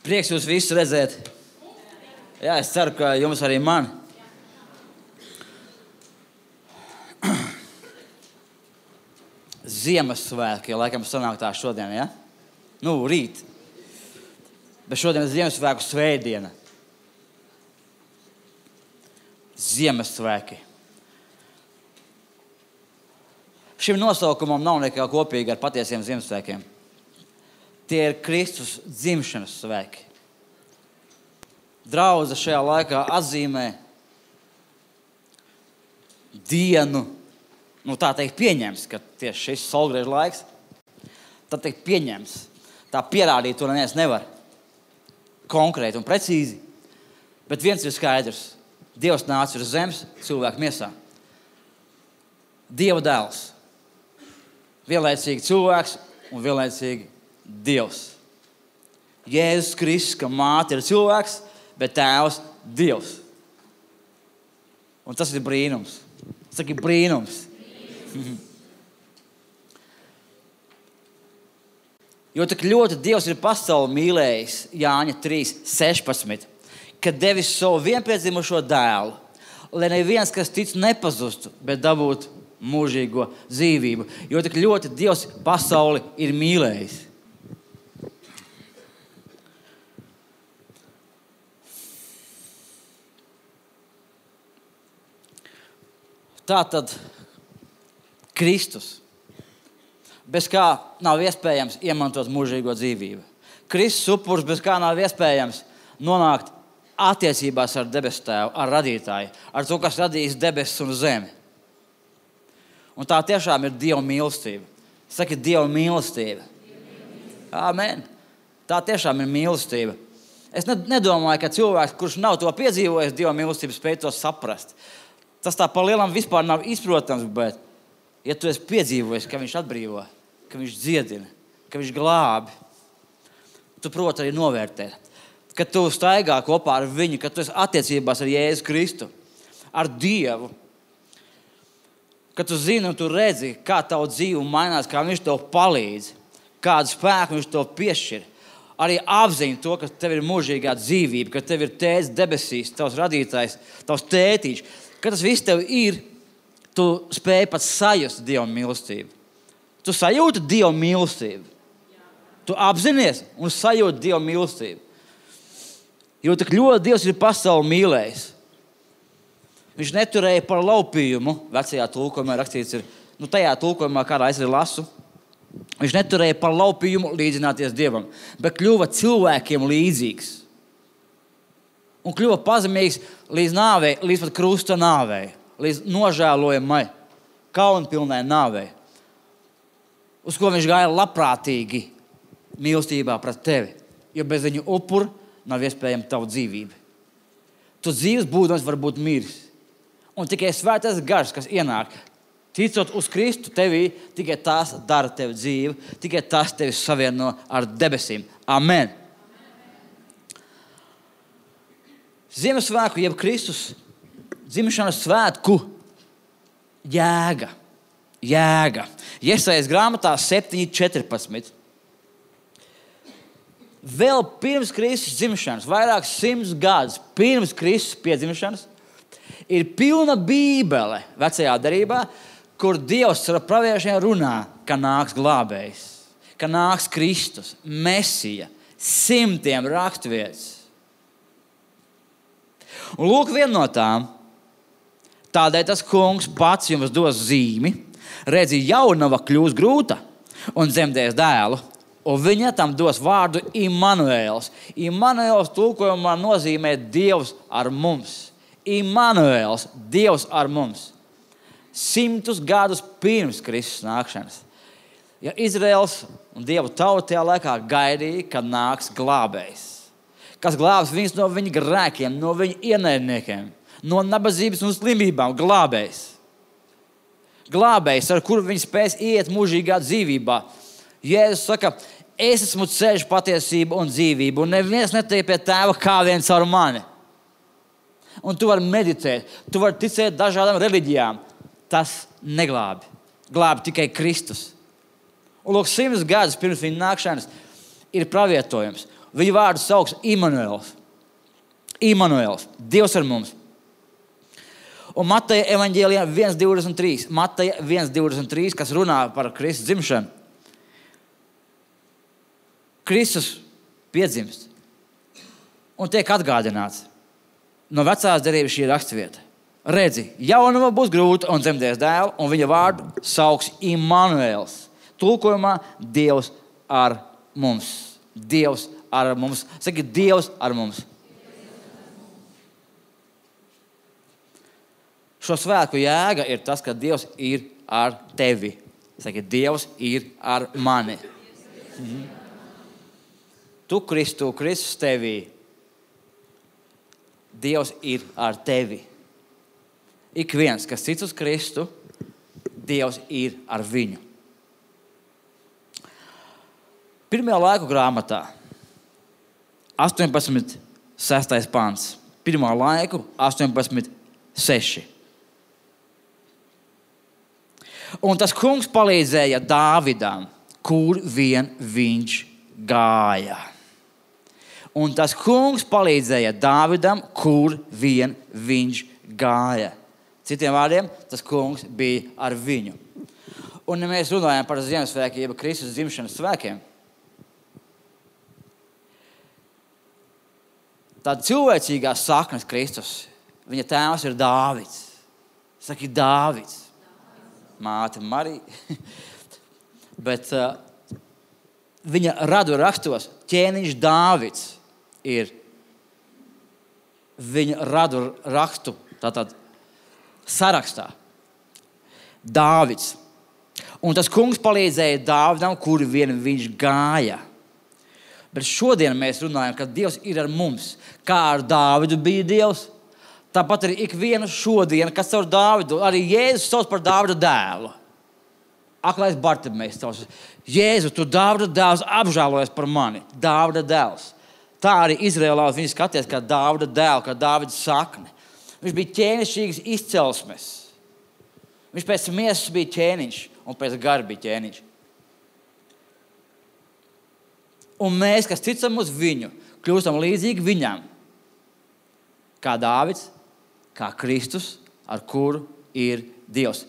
Prieks jūs visus redzēt. Jā, es ceru, ka jums arī man. Ziemassvētki, ja laikam sanāk tā šodien, ja? Rīt. Bet šodien ir Ziemassvētku svētdiena. Ziemassvētki. Šim nosaukumam nav nekā kopīga ar patiesiem Ziemassvētkiem. Tie ir Kristus dzimšanas svētki. Draudze šajā laikā atzīmē dienu, tā teikt pieņems, ka tieši šis saulgriežu laiks, tad teikt pieņems. Tā pierādīt to neviens nevar. Konkrēti un precīzi. Bet viens ir skaidrs. Dievs nāca uz zemes cilvēku miesā. Dieva dēls. Vienlaicīgi cilvēks un vienlaicīgi Dievs. Jēzus Kristus, ka māte ir cilvēks, bet tēvs Dievs. Un tas ir brīnums. Tas ir brīnums. Jo tik ļoti Dievs ir pasauli mīlējis, Jāņa 3:16, kad devis savu vienpiedzimušo dēlu, lai neviens, kas tic, nepazustu, bet dabūtu mūžīgo dzīvību. Jo tik ļoti Dievs pasauli ir mīlējis. Tātad Kristus, bez kā nav iespējams iemantot mūžīgo dzīvību. Kristus upurs, bez kā nav iespējams nonākt attiecībās ar debesu tēvu, ar radītāju, ar to, kas radījis debesis un zemi. Un tā tiešām ir Dieva mīlestība. Saki, Dieva mīlestība. Amen. Tā tiešām ir mīlestība. Es nedomāju, ka cilvēks, kurš nav to piedzīvojis, Dieva mīlestību spēj to saprast. Tas tā pa lielam vispār nav izprotams, bet ja tu esi piedzīvojis, ka viņš atbrīvo, ka viņš dziedina, ka viņš glābi, tu proti arī novērtēt. Kad tu staigā kopā ar viņu, kad tu esi attiecībās ar Jēzu Kristu, ar Dievu, kad tu zini un tu redzi, kā tavu dzīve mainās, kā viņš tev palīdz, kādu spēku viņš tev piešķir. Arī apziņa to, ka tev ir mūžīgā dzīvība, ka tev ir tēvs debesīs, tavs radītājs, tavs tētiņš. Kad tas viss tev ir, tu spēj pat sajust Dieva mīlestību. Tu sajūti Dieva mīlestību. Tu apzinies un sajūti Dieva mīlestību. Jo tik ļoti Dievs ir pasauli mīlējis. Viņš neturēja par laupījumu, vecajā tulkojumā rakstīts ir, tajā tulkojumā, kādā es arī lasu, viņš neturēja par laupījumu līdzināties Dievam, bet kļuva cilvēkiem līdzīgs. Un kļuva pazemīgs līdz nāvei, līdz pat krusta nāvei, līdz nožēlojamai, kaunpilnai nāvei, uz ko viņš gāja labprātīgi mīlestībā pret tevi, jo bez viņu upura nav iespējama tava dzīvība. Tu dzīves būdams var būt miris. Un tikai svētais gars, kas ienāk, ticot uz Kristu tevī, tikai tās dara tevi dzīvi, tikai tās tevi savieno ar debesīm. Amen. Ziemassvētku, jeb Kristus dzimšanas svētku jēga. Jesajas grāmatā 7:14. Vēl pirms Kristus dzimšanas, vairākus 100 gadus pirms Kristus piedzimšanas, ir pilna Bībele vecajā derībā, kur Dievs ar praviešiem runā, ka nāks glābējs, ka nāks Kristus, Mesija, 100 raksturvietas. Un lūk, viena no tām, tādēļ tas kungs pats jums dos zīmi, redzi, jaunava kļūs grūta un dzemdēs dēlu, un viņa tam dos vārdu Immanuēls. Immanuēls tulkojumā nozīmē Dievs ar mums. Immanuēls, Dievs ar mums. 100 gadus pirms Kristus nākšanas. Ja Izraels un Dievu tauta tajā laikā gaidīja, kad nāks glābējs, kas glābs viņus no viņa grēkiem, no viņa ienaidniekiem, no nabadzības un slimībām, glābējs. Glābējs, ar kuru viņi spēs iet mūžīgā dzīvībā. Jēzus saka, es esmu ceļš, patiesība un dzīvība, un neviens netiek pie tēva kā viens ar mani. Un tu vari meditēt, tu vari ticēt dažādām reliģijām. Tas neglābi. Glābi tikai Kristus. Un lūk, 100 gadus pirms viņa nākšanas ir pravietojums. Viņu vārdu sauks Immanuels. Immanuels. Dievs ar mums. Un Mateja evaņģēlijā 1.23. Mateja 1.23, kas runā par Kristus dzimšanu. Kristus piedzimst un tiek atgādināts. No vecās derības šī rakstvieta. Redzi, jaunava būs grūta un dzemdēs dēlu, un viņa vārdu sauks Immanuels. Tulkojumā Dievs ar mums. Dievs ar mums. Saki, Dievs ar mums. Šo svētku jēga ir tas, ka Dievs ir ar tevi. Saki, Dievs ir ar mani. Tu, Kristus tevī. Dievs ir ar tevi. Ik viens, kas tic uz Kristu, Dievs ir ar viņu. Pirmajā laiku grāmatā, 18.6. pants. Pirmā laiku, 18.6. Un tas kungs palīdzēja Dāvidam, kur vien viņš gāja. Un tas kungs palīdzēja Dāvidam, kur vien viņš gāja. Citiem vārdiem, tas kungs bija ar viņu. Un ja mēs runājam par Ziemassvētkiem, jeb Kristus dzimšanas svētkiem, tad cilvēcīgās saknes Kristus, viņa tēvs ir Dāvids. Saki, Dāvids. Māte Marija. Bet viņa radu rakstos ķēniņš Dāvids ir viņa radu rakstu tātad sarakstā. Dāvids. Un tas kungs palīdzēja Dāvidam, kur vien viņš gāja. Bet šodien mēs runājam, ka Dievs ir ar mums. Kā ar Dāvidu bija Dievs, tāpat arī ikvienu šodien, kas caur Dāvidu, arī Jēzus sauc par Dāvida dēlu. Aklais Bartimejs sauc. Jēzu, tu Dāvida dēls apžēlojies par mani. Dāvida dēls. Tā arī Izrēlā viņi skaties kā Dāvida dēlu, kā Dāvida sakne. Viņš bija ķēnišķīgas izcelsmes. Viņš pēc miesas bija ķēniņš un pēc gara bija ķēniņš. Un mēs, kas ticam uz viņu, kļūstam līdzīgi viņam. Kā Dāvids, kā Kristus, ar kuru ir Dievs.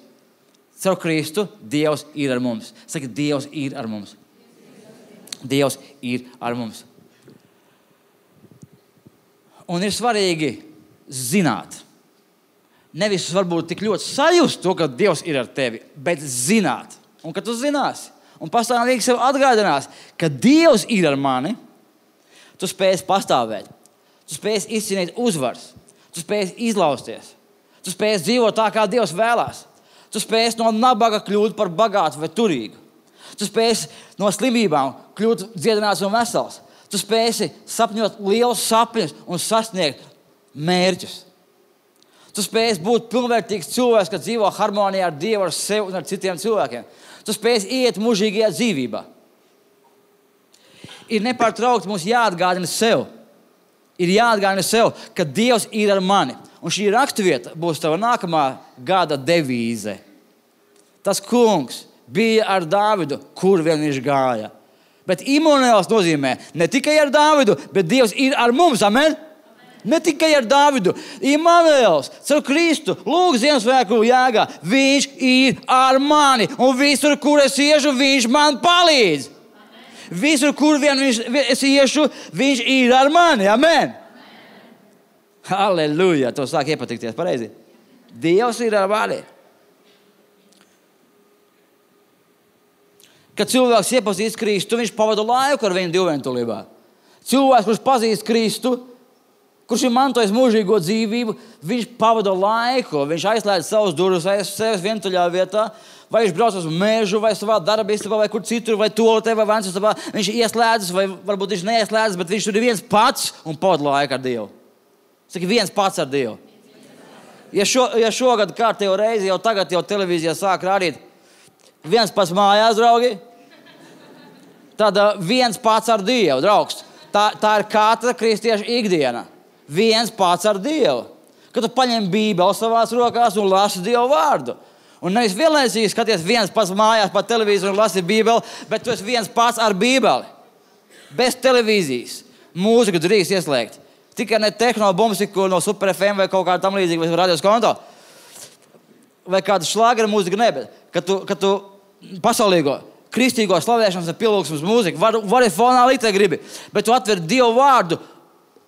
Caur Kristu Dievs ir ar mums. Saki, Dievs ir ar mums. Dievs ir ar mums. Un ir svarīgi zināt. Nevis varbūt tik ļoti sajust to, ka Dievs ir ar tevi, bet zināt. Un kad tu zināsi un pastāvīgi sev atgādinās, ka Dievs ir ar mani, tu spēsi pastāvēt. Tu spēsi izcīnīt uzvaras. Tu spēsi izlausties. Tu spēsi dzīvot tā, kā Dievs vēlās. Tu spēsi no nabaga kļūt par bagātu vai turīgu. Tu spēsi no slimībām kļūt dziedināts un vesels. Tu spēsi sapņot lielus sapņus un sasniegt mērķus. Tu spēsi būt pilnvērtīgs cilvēks, kas dzīvo harmonijā ar Dievu, ar sevi un ar citiem cilvēkiem. Tu spēsi iet mūžīgajā dzīvībā. Ir nepārtraukti mums jāatgādina sev. Ir jāatgādina sev, ka Dievs ir ar mani. Un šī raksturvieta būs tava nākamā gada devīze. Tas kungs bija ar Dāvidu, kur vien viņš gāja. Bet Immanuels nozīmē ne tikai ar Dāvidu, bet Dievs ir ar mums. Amen? Ne tikai ar Dāvidu. Immanuels, caur Kristu, lūk Ziemassvētku jēgā. Viņš ir ar mani. Un visur, kur es iešu, viņš man palīdz. Visur, kur vien es iešu, viņš ir ar mani. Amen. Halleluja. To sāk iepatikties pareizi. Dievs ir ar mani. Kad cilvēks iepazīst Kristu, viņš pavada laiku ar viņu divvientulībā. Cilvēks, kurš pazīst Kristu, kurš ir mantojis mūžīgo dzīvību, viņš pavada laiku, viņš aizslēdz savus durvis aiz sevis vientuļā vietā, vai viņš brauc uz mežu, vai savā darbistabā, vai kur citur, vai toaletē, vai vansistabā. Viņš ieslēdzas, vai varbūt viņš neieslēdzas, bet viņš tur ir viens pats un pavada laiku ar Dievu. Saki, viens pats ar Dievu. Ja šogad kārtējo reizi, jau tagad jau televīzijā sāk rādīt viens pats mājās, draugi, tad viens pats ar Dievu, draugs. Tā ir katra kristieša ikdiena. Viens pats ar Dievu. Kad tu paņem Bībeli savās rokās un lasi Dievu vārdu. Un nevis vienlaicīgi skaties viens pats mājās pa televīziju un lasi Bībeli, bet tu esi viens pats ar Bībeli. Bez televīzijas. Mūziku drīkst ieslēgt. Tikai ne tehno-bumsiku no Super FM vai kaut kā tam līdzīga, vai radios konto. Vai kāda šlāgera mūzika, ne, bet kad tu pasaulīgo, kristīgo slavēšanas un pielūgsmes mūziku vari fonā likt, ja gribi, bet tu atver Dievu vārdu,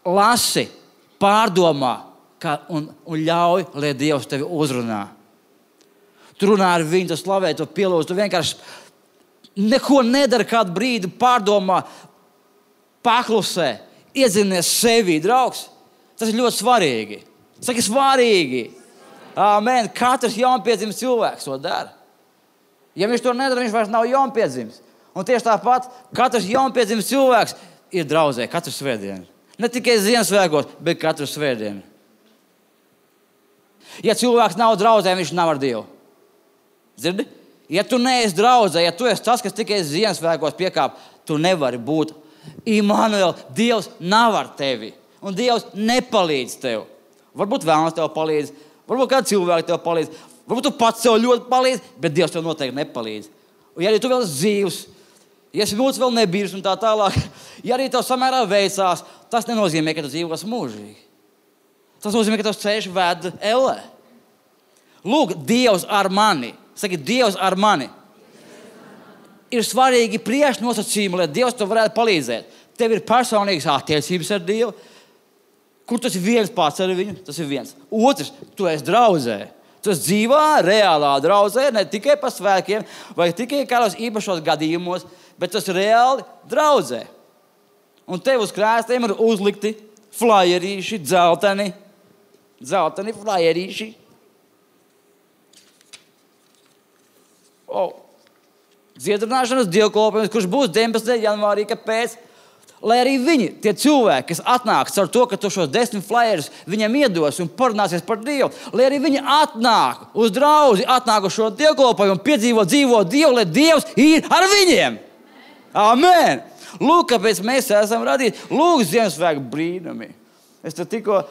lasi, pārdomā un ļauj, lai Dievs tevi uzrunā. Tu runā ar viņu, tu slavē, tu pielūdz, tu vienkārši neko nedara kādu brīdi, pārdomā, paklusē, iedzinies sevī, draugs. Tas ir ļoti svarīgi. Saki, svarīgi. Amen. Katrs jaunpiedzimis cilvēks to dara. Ja viņš to nedara, viņš vairs nav jaunpiedzimis. Un tieši tāpat katrs jaunpiedzimis cilvēks ir draudzē katru svētdienu. Ne tikai Ziemassvētkos, bet katru svētdienu. Ja cilvēks nav draudzē, viņš nav ar Dievu. Dzirdi? Ja tu neesi draudzē, ja tu esi tas, kas tikai Ziemassvētkos piekāp, tu nevari būt. Immanuel, Dievs nav ar tevi. Un Dievs nepalīdz tev. Varbūt vēlams tev palīdz, varbūt kāds cilvēks tev palīdz, varbūt tu pats sev ļoti palīdz, bet Dievs tev noteikti nepalīdz. Un ja arī tu vēl esi dzīvs, ja esi mūcis vēl nebīrs un tā tālāk, ja arī tev samērā veicās, tas nenozīmē, ka tu dzīvos mūžīgi. Tas nozīmē, ka tavs ceļš ved ellē. Lūk, Dievs ar mani. Saki, Dievs ar mani. Ir svarīgi priekšnosacījumi, lai Dievs tev varētu palīdzēt. Tev ir personīgas attiecības ar Dievu, kur tu esi viens pats ar viņu, tas ir viens. Otrs, tu esi draudzē. Tu esi dzīvā, reālā draudzē, ne tikai pa svētkiem, vai tikai kādos īpašos gadījumos, bet tu esi reāli draudzē. Un tev uz krēstiem ir uzlikti flyerīši, dzelteni flyerīši. Dziedināšanas dievkalpojums, kurš būs 19. janvārī, kāpēc? Lai arī viņi, tie cilvēki, kas atnāks ar to, ka tu šos 10 flyerus viņam iedos un parunāsies par Dievu, lai arī viņi atnāk uz draudzi, atnāk uz šo dievkalpojumu, piedzīvo dzīvo Dievu, lai Dievs ir ar viņiem. Amen! Lūk, kāpēc mēs esam radīti. Lūk, Ziemassvētku brīnumi. Es te tikko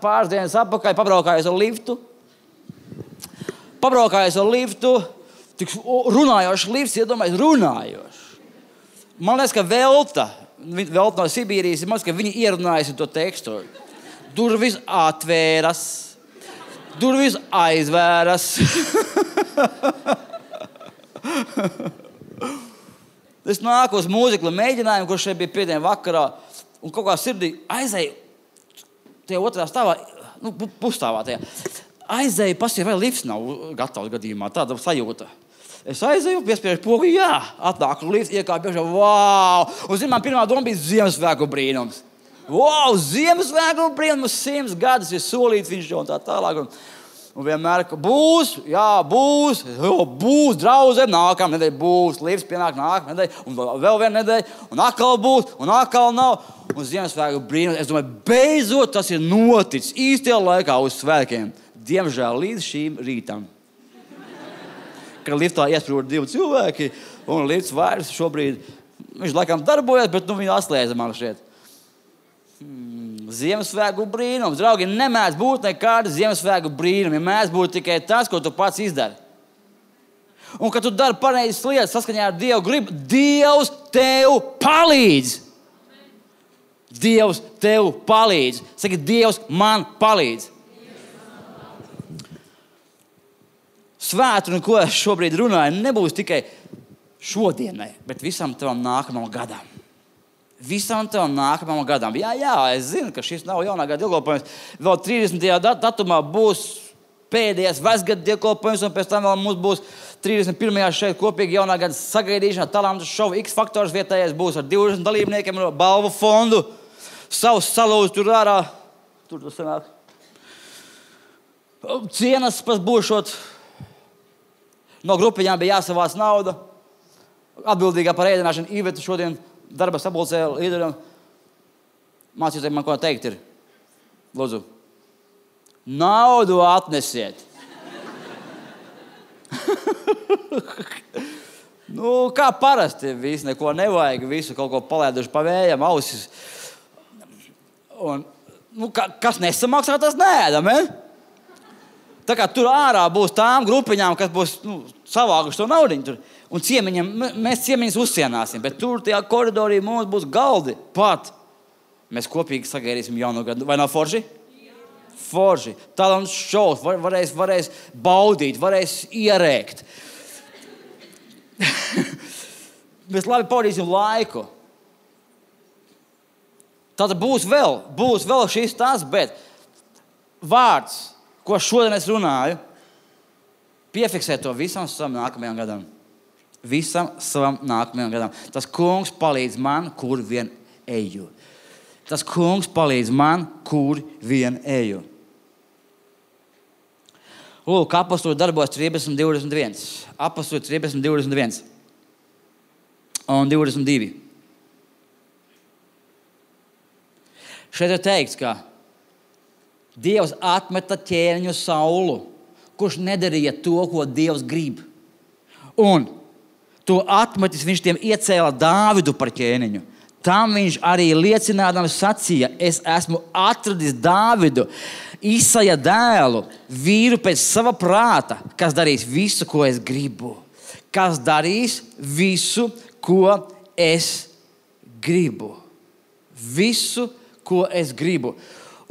pāris dienas atpakaļ pabraukājos ar liftu. Tik runājošs lifts, iedomājies, runājošs. Man liekas, ka Velta no Sibīrijas, man liekas, ka viņi ierunājas to tekstu. Durvis atvēras, durvis aizvēras. Es nāku uz mūziklu mēģinājumu, kurš šeit bija piedien vakarā, un kaut kā sirdī aizēju tie otrā stāvā, pusstāvā tajā. Aizēju, pasīju, vai lifts nav gatavs gadījumā, tāda sajūta. Es aizēju, piespiežu pogu, jā, atnāku lifts, iekāpu iekšā, wow! Un man pirmā doma bija Ziemassvētku brīnums. Wow, Ziemassvētku brīnums, 100 gadus ir solīts viņš un tā tālāk. Un vienmēr, ka būs, draudzē, nākamā nedēļa būs, lifts pienāk nākamā nedēļa, un vēl viena nedēļa, un atkal būs, un atkal nav. Un Ziemassvētku brīnums, es domāju, beidzot tas ir noticis īstajā laikā uz svētkiem. Diemžēl līdz šīm rītam. Kad liftā iesprūda 2 cilvēki, un lifts vairs šobrīd, viņš laikam darbojas, bet viņu atslēdza man šeit. Ziemassvētku brīnums. Draugi, nemēdz būt nekāda Ziemassvētku brīnumi. Mēdz būt tikai tas, ko tu pats izdari. Un, kad tu dari pareizas lietas saskaņā ar Dievu gribu, Dievs tev palīdz. Dievs tev palīdz. Saki, Dievs man palīdz. Svētdiena, ko es šobrīd runāju, nebūs tikai šodienai, bet visam tavam nākamam gadam. Visam tavam nākamam gadam. Jā, es zinu, ka šis nav jaunā gada dievkalpojums. Vēl 30. datumā būs pēdējais vecgada dievkalpojums, un pēc tam vēl mums būs 31. šeit kopīgi jaunā gada sagaidīšana, talantu šovu, X faktors vietējais būs ar 20 dalībniekiem no balvu fondu. Savus salūdus tur ārā. Tur tas sanāk. Cienas pēc būšot. No grupiņām bija jāsavāc nauda. Atbildīgā par ēdināšanu Iveta šodien darba sapulcē līderiem. Mācīties man, ko teikt ir. Lūdzu. Naudu atnesiet. Kā parasti viss, neko nevajag, visu kaut ko palēduši pa vējam, ausis. Un, kas nesamaksā, tas neēdam, Tā kā tur ārā būs tām grupiņām, kas būs savākuši to naudiņu. Un mēs ciemiņus uzsienāsim, bet tur tajā koridorī mums būs galdi pat. Mēs kopīgi sagaidīsim jauno gadu. Vai nav forši? Forši. Talants šovs, varēs baudīt, varēs ierēkt. Mēs labi pavadīsim laiku. Tātad būs vēl šis tas, bet vārds, ko šodien es runāju, piefiksē to visam savam nākamajam gadam. Visam savam nākamajam gadam. Tas kungs palīdz man, kur vien eju. Tas kungs palīdz man, kur vien eju. Lūk, apostoli darbos 13:21. Apostoli 13:21 un 22. Šeit ir teikts, ka Dievs atmeta ķēniņu Saulu, kurš nedarīja to, ko Dievs grib. Un to atmetis viņš tiem iecēla Dāvidu par ķēniņu. Tam viņš arī liecinādams sacīja, es esmu atradis Dāvidu, Isaja dēlu, vīru pēc sava prāta, kas darīs visu, ko es gribu. Kas darīs visu, ko es gribu. Visu, ko es gribu.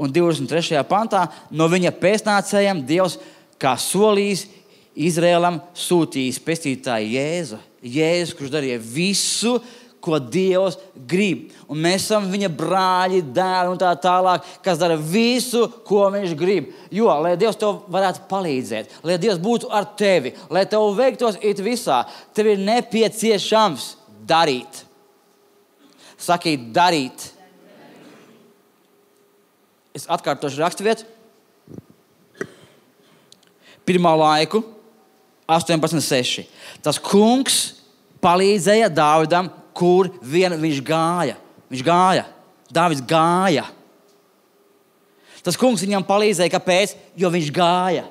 Un 23. pantā no viņa pēcnācējiem Dievs, kā solījis, Izrēlam sūtījis pestītāju Jēzu. Jēzus, kurš darīja visu, ko Dievs grib. Un mēs esam viņa brāļi, dēli un tā tālāk, kas dara visu, ko viņš grib. Jo, lai Dievs tev varētu palīdzēt, lai Dievs būtu ar tevi, lai tev veiktos it visā, tev ir nepieciešams darīt. Sakīt, darīt. Es atkārtošu raksturvietu. 1. laiku 18:6. Tas kungs palīdzēja Dāvidam, kur vien viņš gāja. Viņš gāja. Dāvids gāja. Tas kungs viņam palīdzēja. Kāpēc? Jo viņš gāja.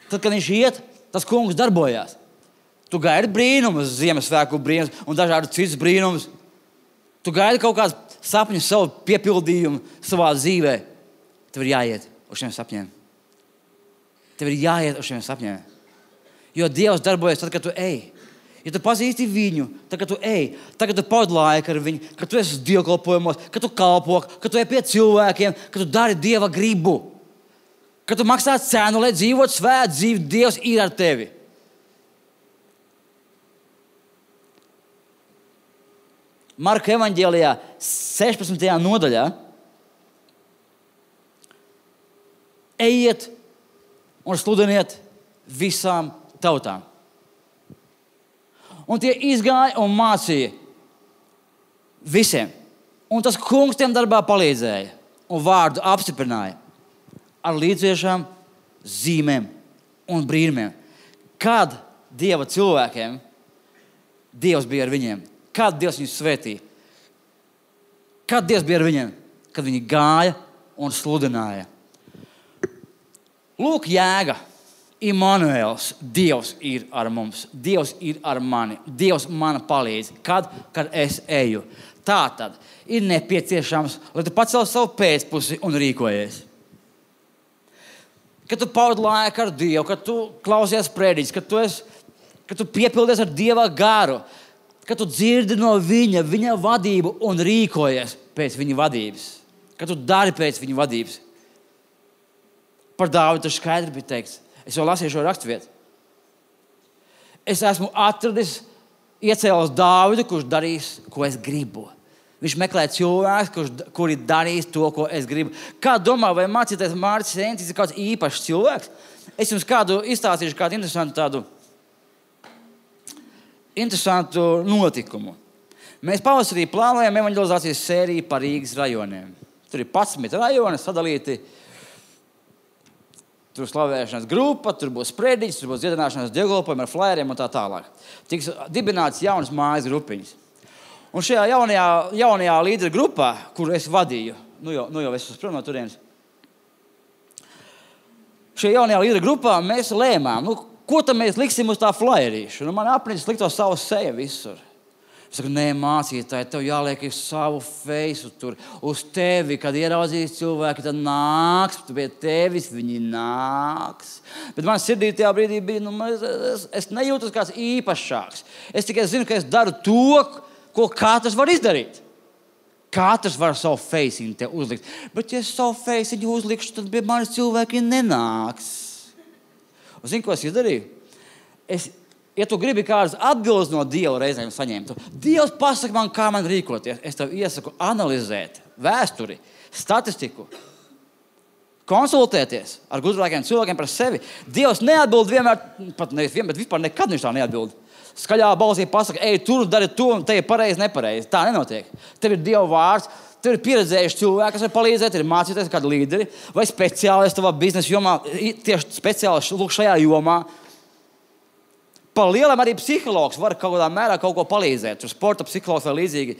Tad, kad viņš iet, tas kungs darbojās. Tu gaidi brīnumus, Ziemassvētku brīnumus un dažādus citus brīnumus. Tu gaidi kaut kāds sapņu, savu piepildījumu savā dzīvē. Tev ir jāiet uz šiem sapņiem. Tev ir jāiet uz šiem sapņiem. Jo Dievs darbojas tad, kad tu ej. Ja tu pazīsti viņu, tad, kad tu ej, tad, kad tu pavadi laiku ar viņu, kad tu esi dievkalpojumos, kad tu kalpo, kad tu ej pie cilvēkiem, kad tu dari Dieva gribu. Kad tu maksā cenu, lai dzīvot svētu dzīvi, Dievs ir ar tevi. Marka evaņģēlijā 16. nodaļā ejiet un sludiniet visām tautām. Un tie izgāja un mācīja visiem. Un tas kungs tiem darbā palīdzēja un vārdu apstiprināja ar līdziešām, zīmēm un brīnumiem. Kad Dieva cilvēkiem Dievs bija ar viņiem? Kad Dievs viņus svētīja? Kad Dievs bija ar viņiem? Kad viņi gāja un sludināja. Lūk, jēga. Immanuēls, Dievs ir ar mums. Dievs ir ar mani. Dievs man palīdz. Kad es eju. Tā tad ir nepieciešams, lai tu pacel savu pēcpusi un rīkojies. Kad tu pavadi laiku ar Dievu, kad tu klausies prediķis, kad tu piepildies ar Dieva garu, kad tu dzirdi no viņa vadību un rīkojies pēc viņa vadības. Kad tu dari pēc viņa vadības. Par Dāvidu tas skaidri bija teikts. Es jau lasīju šo raksturvietu. Es esmu atradis, iecēlos Dāvidu, kurš darīs, ko es gribu. Viņš meklē cilvēkus, kuri darīs to, ko es gribu. Kā domā, vai mācīties Mārcis Encis ir kāds īpašs cilvēks? Es jums kādu izstāstīšu kādu interesantu notikumu. Mēs pavasarī plānojam evaņģelizācijas sēriju par Rīgas rajoniem. Tur ir 11 rajoni sadalīti. Tur slavēšanas grupa, tur būs prediķis, tur būs dziedināšanas dievkalpojumi ar flyeriem un tā tālāk. Tiks dibināts jaunas mājas grupiņas. Un šajā jaunajā līderu grupā, kuru es vadīju, nu jau es esmu prom no turienes, šajā jaunajā līderu grupā mēs lēmām, ko tad mēs liksim uz tā flyerīšu. Man apnicis likt to savu seju visur. Es saku, nē, mācītāji, tev jāliek savu feisu tur uz tevi, kad ieraudzīs cilvēki, tad nāks, pie tevis viņi nāks. Bet man sirdī tajā brīdī bija, es nejūtos kāds īpašāks. Es tikai zinu, ka es daru to, ko katrs var izdarīt. katrs var savu feisiņu te uzlikt. Bet, ja es savu feisiņu uzlikšu, tad pie manis cilvēki nenāks. Un zini, ko es izdarīju? Ja tu gribi kādas atbildes no Dieva reizēm saņemt, Dievs pasaka man, kā man rīkoties. Es tev iesaku analizēt vēsturi, statistiku, konsultēties ar gudrākiem cilvēkiem par sevi. Dievs neatbild vienmēr, pat nevienmēr, bet vispār nekad viņš tā neatbild. Skaļā balsī pasaka, ej, tur dari to, un te ir pareizi, nepareizi. Tā nenotiek. Tev ir Dieva vārds, tev ir pieredzējuši cilvēki, kas var palīdzēt, ir mācīties kādi līderi vai speciālisti tavā biznesa jomā, tieši speciālisti lūk šajā jomā. Pa lielam arī psihologs var kaut kādā mērā kaut ko palīdzēt. Tur sporta psihologs vai līdzīgi,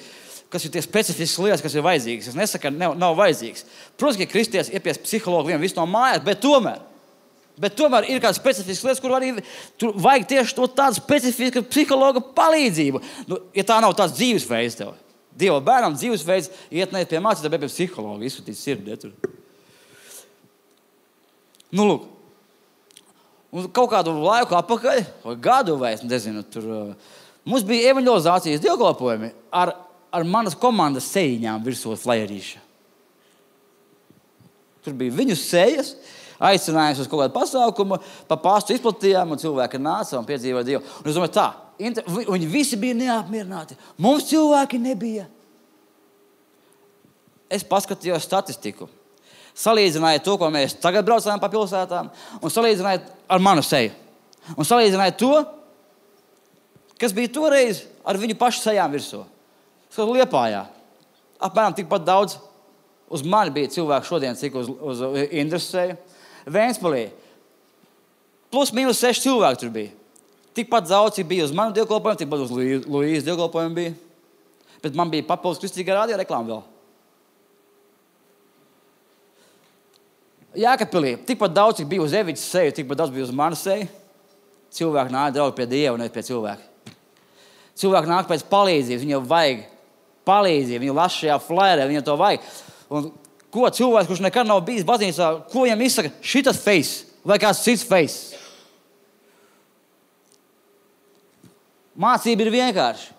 kas ir tie specifiskas lietas, kas ir vajadzīgas. Es nesaku, ka nav vajadzīgs. Protams, ka kristietis ir pie psihologa visu no mājas, bet tomēr ir kādas specifiskas lietas, kur arī tur vajag tieši tādu specifisku psihologa palīdzību. Nu, ja tā nav tāds dzīvesveids tev. Dieva bērnam dzīvesveids iet ne pie mācītāja, bet pie psihologa, izsūtīt sirdi. Nu, lūk. Un kaut kādu laiku atpakaļ, vai gadu vai es nezinu, tur mums bija evanģelizācijas dievkalpojumi ar manas komandas sejiņām virsot flyerīša. Tur bija viņu sejas, aicinājums uz kaut kādu pasākumu, pa pastu izplatījām un cilvēki nāca un piedzīvoja Dievu. Un es domāju tā, viņi visi bija neapmierināti. Mums cilvēki nebija. Es paskatījos statistiku. Salīdzināja to, ko mēs tagad braucām pa pilsētām, un salīdzināja ar manu seju. Un salīdzināja to, kas bija toreiz ar viņu pašu sejām virsū. Skatu Liepājā. Apmēram tikpat daudz uz mani bija cilvēku šodien, cik uz Indras seju. Vēnspilī. Plus mīnus 6 cilvēki tur bija. Tikpat daudz, cik bija uz manu dievkalpojumu, tikpat uz Luīzes dievkalpojumu bija. Bet man bija papildus kristīgā radio reklāma vēl. Jēkabpilī, tikpat daudz, cik bija uz Eviķas seju, tikpat daudz bija uz manas seju. Cilvēki nāk draugi pie Dieva, nevis pie cilvēka. Cilvēki nāk pēc palīdzības, viņam vajag palīdzību, viņu las šajā flyerē, viņam to vajag. Un ko cilvēks, kurš nekad nav bijis baznīcā, ko viņam izsaka? Šitas face vai kāds cits face? Mācība ir vienkārši.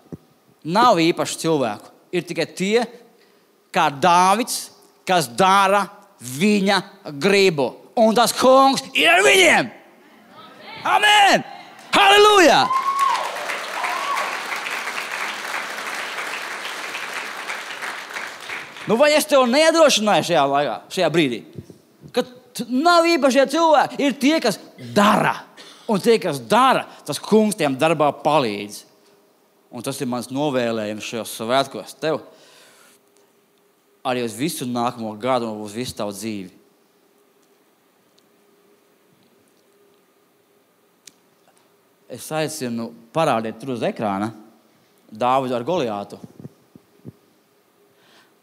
Nav īpaši cilvēku. Ir tikai tie, kā Dāvids, kas dara viņa gribu. Un tas kungs ir ar viņiem. Amen! Halleluja! Nu, vai es tev nedrošināju šajā laikā, šajā brīdī? Ka nav īpašie cilvēki. Ir tie, kas dara. Un tie, kas dara, tas kungs tiem darbā palīdz. Un tas ir mans novēlējums šajos svētkos tev. Arī uz visu nākamo gadu un uz visu tavu dzīvi. Es aicinu parādīt tur uz ekrāna Dāvidu ar Goliātu.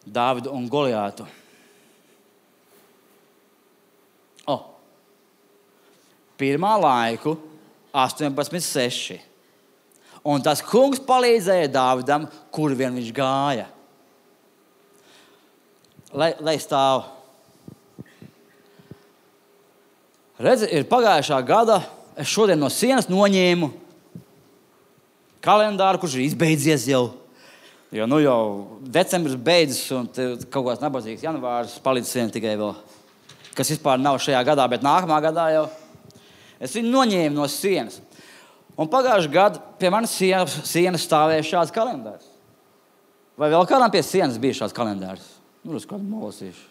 Dāvidu un Goliātu. Pirmā laiku 18:6. Un tas kungs palīdzēja Dāvidam, kur vien viņš gāja. Lai stāv. Redzi, ir pagājušā gada, es šodien no sienas noņēmu kalendāru, kurš ir izbeidzies jau. Jo jau decembris beidzas un kaut kāds nabadzīgs janvārs palicis vien tikai vēl. Kas vispār nav šajā gadā, bet nākamā gadā jau. Es viņu noņēmu no sienas. Un pagājušā gada pie manas sienas stāvēja šāds kalendārs. Vai vēl kādām pie sienas bija šāds kalendārs? Uz kādu molasīšu.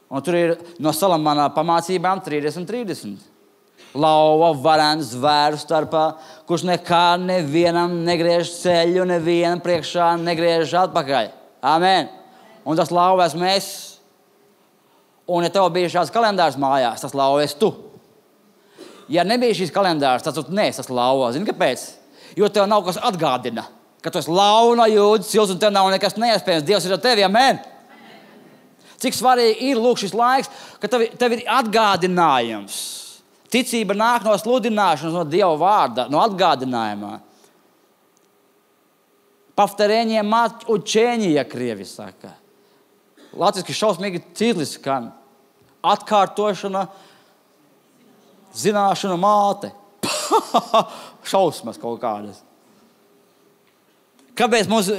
Un tur ir no Salamana pamācībām 30. Lauva, varens, zvēru starpā, kurš nekā nevienam negriež ceļu, nevienam priekšā negriež atpakaļ. Amen. Un tas lauva esmu es. Un ja tev bija šāds kalendārs mājās, tas lauva esi tu. Ja nebija šīs kalendārs, tad tu neesi tas lauva. Zini, kāpēc? Jo tev nav kas atgādina, ka tu esi lauva no Jūdas sils un tev nav nekas neiespējams. Dievs ir ar tevi, amen. Cik svarīgi ir lūk šis laiks, ka tev ir atgādinājums. Ticība nāk no sludināšanas, no Dieva vārda, no atgādinājumā. Повторение мать учения, krievi saka. Latviski šausmīgi cītlis skan. Atkārtošana, zināšana māte. Šausmas kaut kādas. Kāpēc mums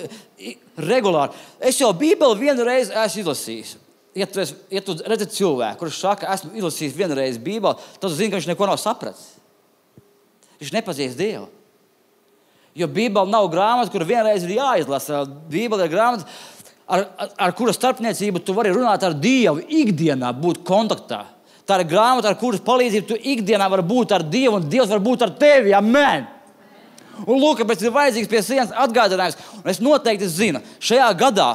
regulāri? Es jau Bībeli vienu reizi esmu izlasījis. Ja tu redzi cilvēku, kurš saka, esmu izlasījis vienu reizi Bībeli, tad tu zini, ka viņš neko nav sapratis. Viņš nepazīst Dievu. Jo Bībeli nav grāmata, kura vienreiz ir jāizlasa. Bībeli ir grāmata, ar kura starpniecību tu vari runāt ar Dievu ikdienā, būt kontaktā. Tā ir grāmata, ar kuras palīdzību tu ikdienā vari būt ar Dievu, un Dievs var būt ar tevi. Amen! Un lūk, kāpēc ir vajadzīgs pie sienas atgādinājums. Un es noteikti zinu, šajā gadā,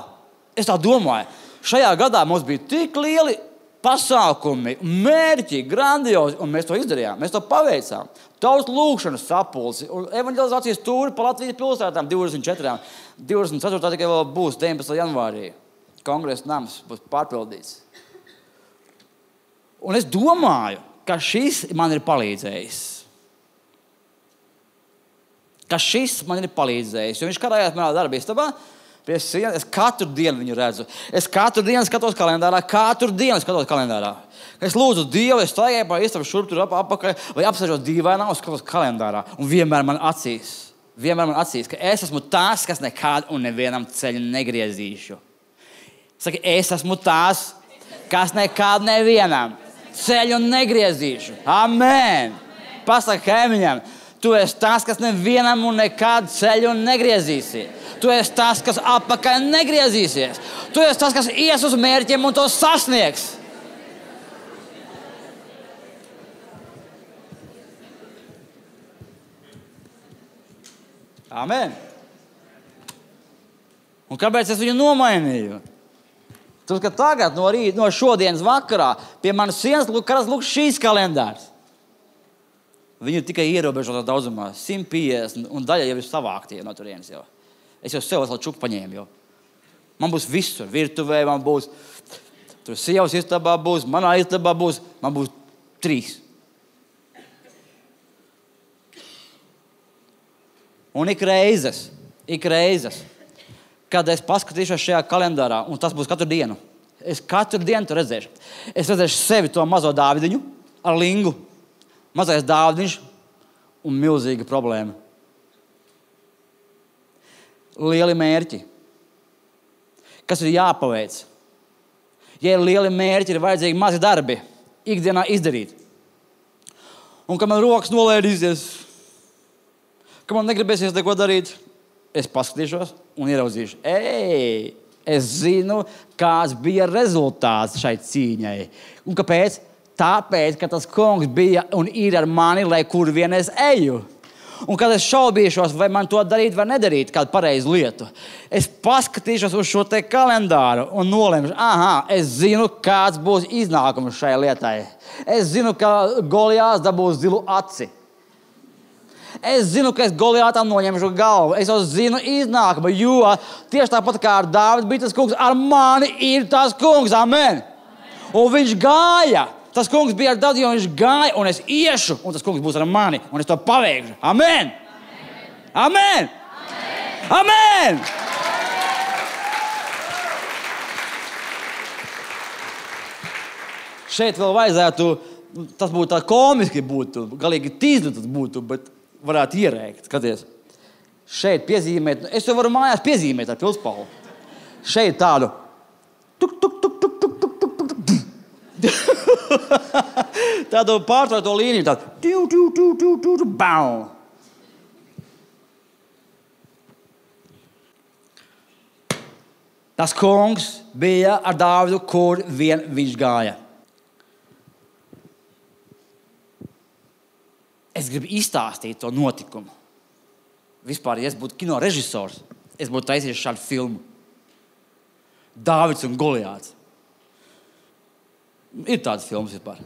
es tā domāju, šajā gadā mums bija tik lieli pasākumi, mērķi, grandiozi, un mēs to izdarījām, mēs to paveicām. Tautas lūkšanas sapulci un evanģelizācijas tūri pa Latvijas pilsētām 24. 24. tikai vēl būs 19. janvārī. Kongresa nams būs pārpildīts. Un es domāju, ka šis man ir palīdzējis. Jo viņš karājās manā darba istabā pie sienas. Es katru dienu viņu redzu. Es katru dienu skatos kalendārā. Es lūdzu Dievu, es staigāju pa istabu šurp tur apakaļ, vai apsēžos dīvainā un skatos kalendārā. Un vienmēr man acīs, ka es esmu tās, kas nekad un nevienam ceļu negriezīšu. Saka, es esmu tās, kas nekad nevienam ceļu negriezīšu. Amen! Pasaka kaimiņam, tu esi tas, kas nevienam un nekad ceļu negriezīsi. Tu esi tas, kas apakaļ negriezīsies. Tu esi tas, kas ies uz mērķiem un to sasniegs. Amen! Un kāpēc es viņu nomainīju? Tad, ka tagad no šodienas vakarā pie manas sienas lūk šīs kalendārs. Viņi ir tikai ierobežotā daudzumā, 150, un daļa jau ir savāktie no turienes jau. Es jau sev esmu čuku paņēmu jau. Man būs visur, virtuvē, man būs, tur sievas istabā būs, manā istabā būs, man būs 3. Un ik reizes, kad es paskatīšos šajā kalendārā, un tas būs katru dienu, es katru dienu to redzēšu. Es redzēšu sevi to mazo Dāvidiņu ar lingu. Mazais Dāvidiņš un milzīga problēma. Lieli mērķi. Kas ir jāpaveic? Ja ir lieli mērķi, ir vajadzīgi mazi darbi. Ikdienā izdarīt. Un kad man rokas nolēdīsies, kad man negribēsies neko darīt, es paskatīšos un ieraudzīšu. Es zinu, kāds bija rezultāts šai cīņai. Un kāpēc? Tāpēc, ka tas kungs bija un ir ar mani, lai kur vien es eju. Un kad es šaubīšos, vai man to darīt vai nedarīt, kādu pareizu lietu, es paskatīšos uz šo te kalendāru un nolemšu, es zinu, kāds būs iznākums šai lietai. Es zinu, ka Golijāts dabūs zilu aci. Es zinu, ka es Golijātam noņemšu galvu. Es jau zinu iznākumu, jo tieši tāpat kā ar Dāvidu bija tas kungs, ar mani ir tas kungs. Amen! Un viņš gāja. Tas kungs bija ar Dāvidu, jo viņš gāja, un es iešu, un tas kungs būs ar mani, un es to paveikšu. Amen! Amen! Amen! Amen! Šeit vēl vajadzētu, tas būtu tā komiski būtu, galīgi tīzli tas būtu, bet varētu ierēkt, skaties. Šeit piezīmēt, es jau varu mājās piezīmēt ar pilspalvu. Šeit tādu tuk, tuk, tuk, tuk, tuk, tuk, tuk, tuk, tuk. Tādu pārtrauto līniju, tādu bau. Tas kungs bija ar Dāvidu, kur vien viņš gāja. Es gribu izstāstīt to notikumu. Vispār, ja es būtu kino režisors, es būtu taisījis šādu filmu. Dāvids un Golijāts. Ir tādas filmas vispār.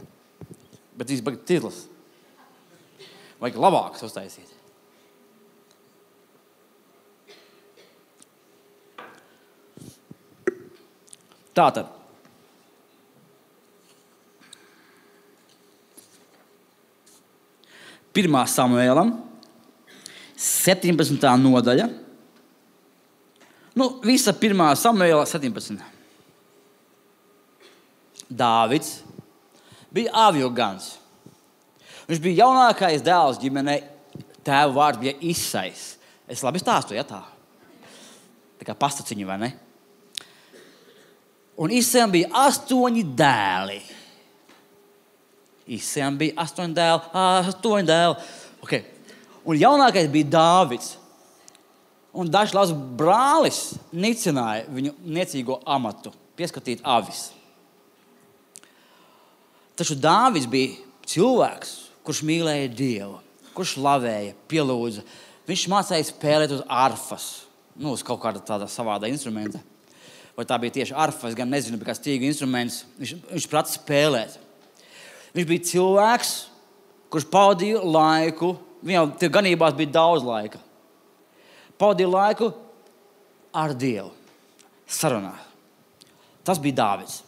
Bet viņas baigi tīzlas. Vajag labākas uztaisīt. Tātad. Pirmā Samuēlam, 17. nodaļa. Visa pirmā Samuēla 17. Dāvids bija avjogans. Viņš bija jaunākais dēls ģimenei. Tēva vārds bija Isais. Es labi stāstu, ja tā? Tā kā pastaciņu, vai ne? Un Isejam bija 8 dēli. Isejam bija 8 dēli. Okay. Un jaunākais bija Dāvids. Un dažs labs brālis nicināja viņu niecīgo amatu, pieskatīt avis. Taču Dāvids bija cilvēks, kurš mīlēja Dievu, kurš slavēja, pielūdza. Viņš mācīja spēlēt uz arfas, uz kaut kāda tāda savāda instrumenta. Vai tā bija tieši arfa, es gan nezinu, bet kā stīgu instruments. Viņš prata spēlēt. Viņš bija cilvēks, kurš pavadīja laiku, viņam tie ganībās bija daudz laika. Pavadīja laiku ar Dievu, sarunā. Tas bija Dāvids.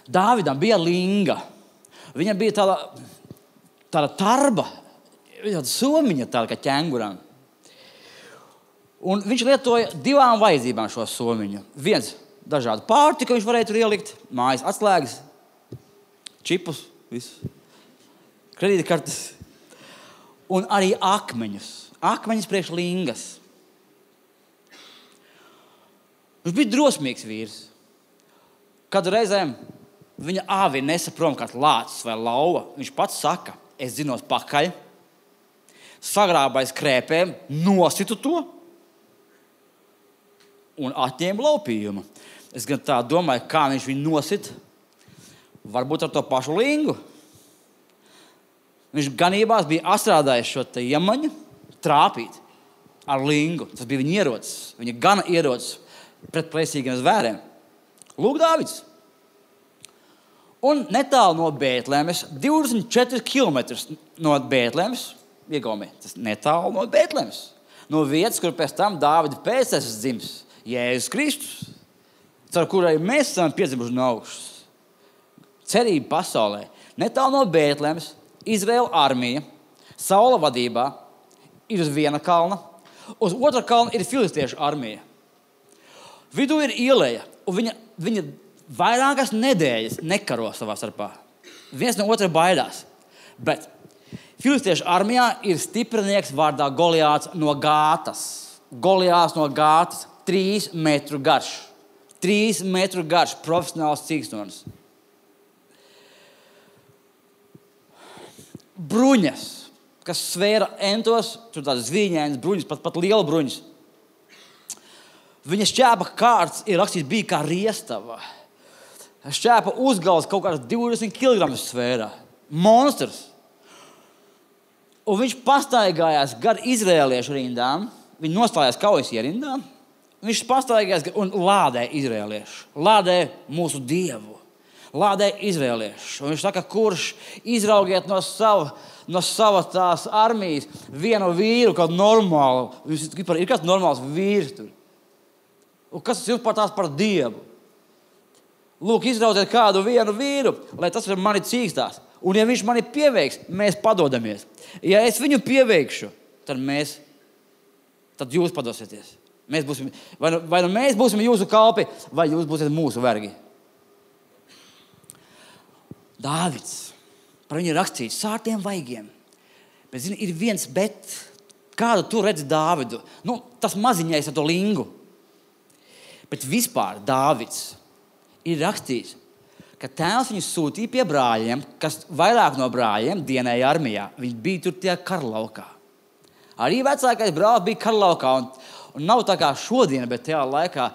Dāvidam bija linga. Viņam bija tāda tarba, tāda somiņa, tāda kā ķenguram. Un viņš lietoja 2 vajadzībām šo somiņu. Viens dažādu pārtiku viņš varēja tur ielikt, mājas atslēgas, čipus, visu, kredītkartes. Un arī akmeņus. Akmeņus priekš lingas. Viņš bija drosmīgs vīrs. Kādu reizēm viņa āvi nesa prom kāds lācis vai lauva. Viņš pats saka, es zinos pakaļ, sagrābais krēpēm, nositu to un atņēma laupījumu. Es gan tā domāju, kā viņš viņu nosit. Varbūt ar to pašu lingu. Viņš ganībās bija atstrādājis šo te iemaņu trāpīt ar lingu. Tas bija viņa ierocis, viņa gana ierocis pret plēsīgiem zvēriem. Lūk, Dāvids. Un netālu no Bētlemes, 24 kilometrus no Bētlemes, iegaumē, tas netālu no Bētlemes, no vietas, kur pēc tam Dāvida pēctecis dzims, Jēzus Kristus, caur kurai mēs esam piedzimuši no augšas. Cerība pasaulē. Netālu no Bētlemes, Izraēla armija, Saula vadībā, ir uz viena kalna, uz otra kalna ir filistiešu armija. Vidū ir ieleja, un viņa vairākas nedēļas nekaro savā starpā. Viens no otra baidās. Bet filistiešu armijā ir stiprinieks vārdā Goliāts no Gātas. Goliāts no Gātas, 3 metru garš. 3 metru garš, profesionāls cīkstons. Bruņas, kas svēra entos, tur tādas zvīņainas bruņas, pat liela bruņas. Viņa šķēpa kārts ir rakstīts bija kā riestava. Šķēpa uzgals kaut kāds 20 kg svēra. Monstrs. Un viņš pastaigājās gar izrēliešu rindām. Viņi nostājās kaujas ierindām. Viņš pastaigājās un lādē izrēliešu. Lādē mūsu Dievu. Lādē izrēliešu. Un viņš saka, kurš izraugiet no sava tās armijas vienu vīru, kādu normālu. Ir kāds normāls vīrs tur. Un kas tas ir par Dievu? Lūk, izraudziet kādu vienu vīru, lai tas ar mani cīkstās. Un ja viņš mani pieveiks, mēs padodamies. Ja es viņu pieveikšu, tad jūs padosieties. Vai nu mēs būsim jūsu kalpi, vai jūs būsiet mūsu vergi. Dāvids, par viņu rakstīts sārtiem vaigiem. Bet, zini, ir viens bet, kādu tu redzi Dāvidu. Tas maziņais ar to lingu. Bet vispār Dāvids ir rakstīts, ka tēvs viņu sūtīja pie brāļiem, kas vairāk no brāļiem dienēja armijā. Viņi bija tur tie karlaukā. Arī vecākais brālis bija karlaukā. Un nav tā kā šodien, bet tajā laikā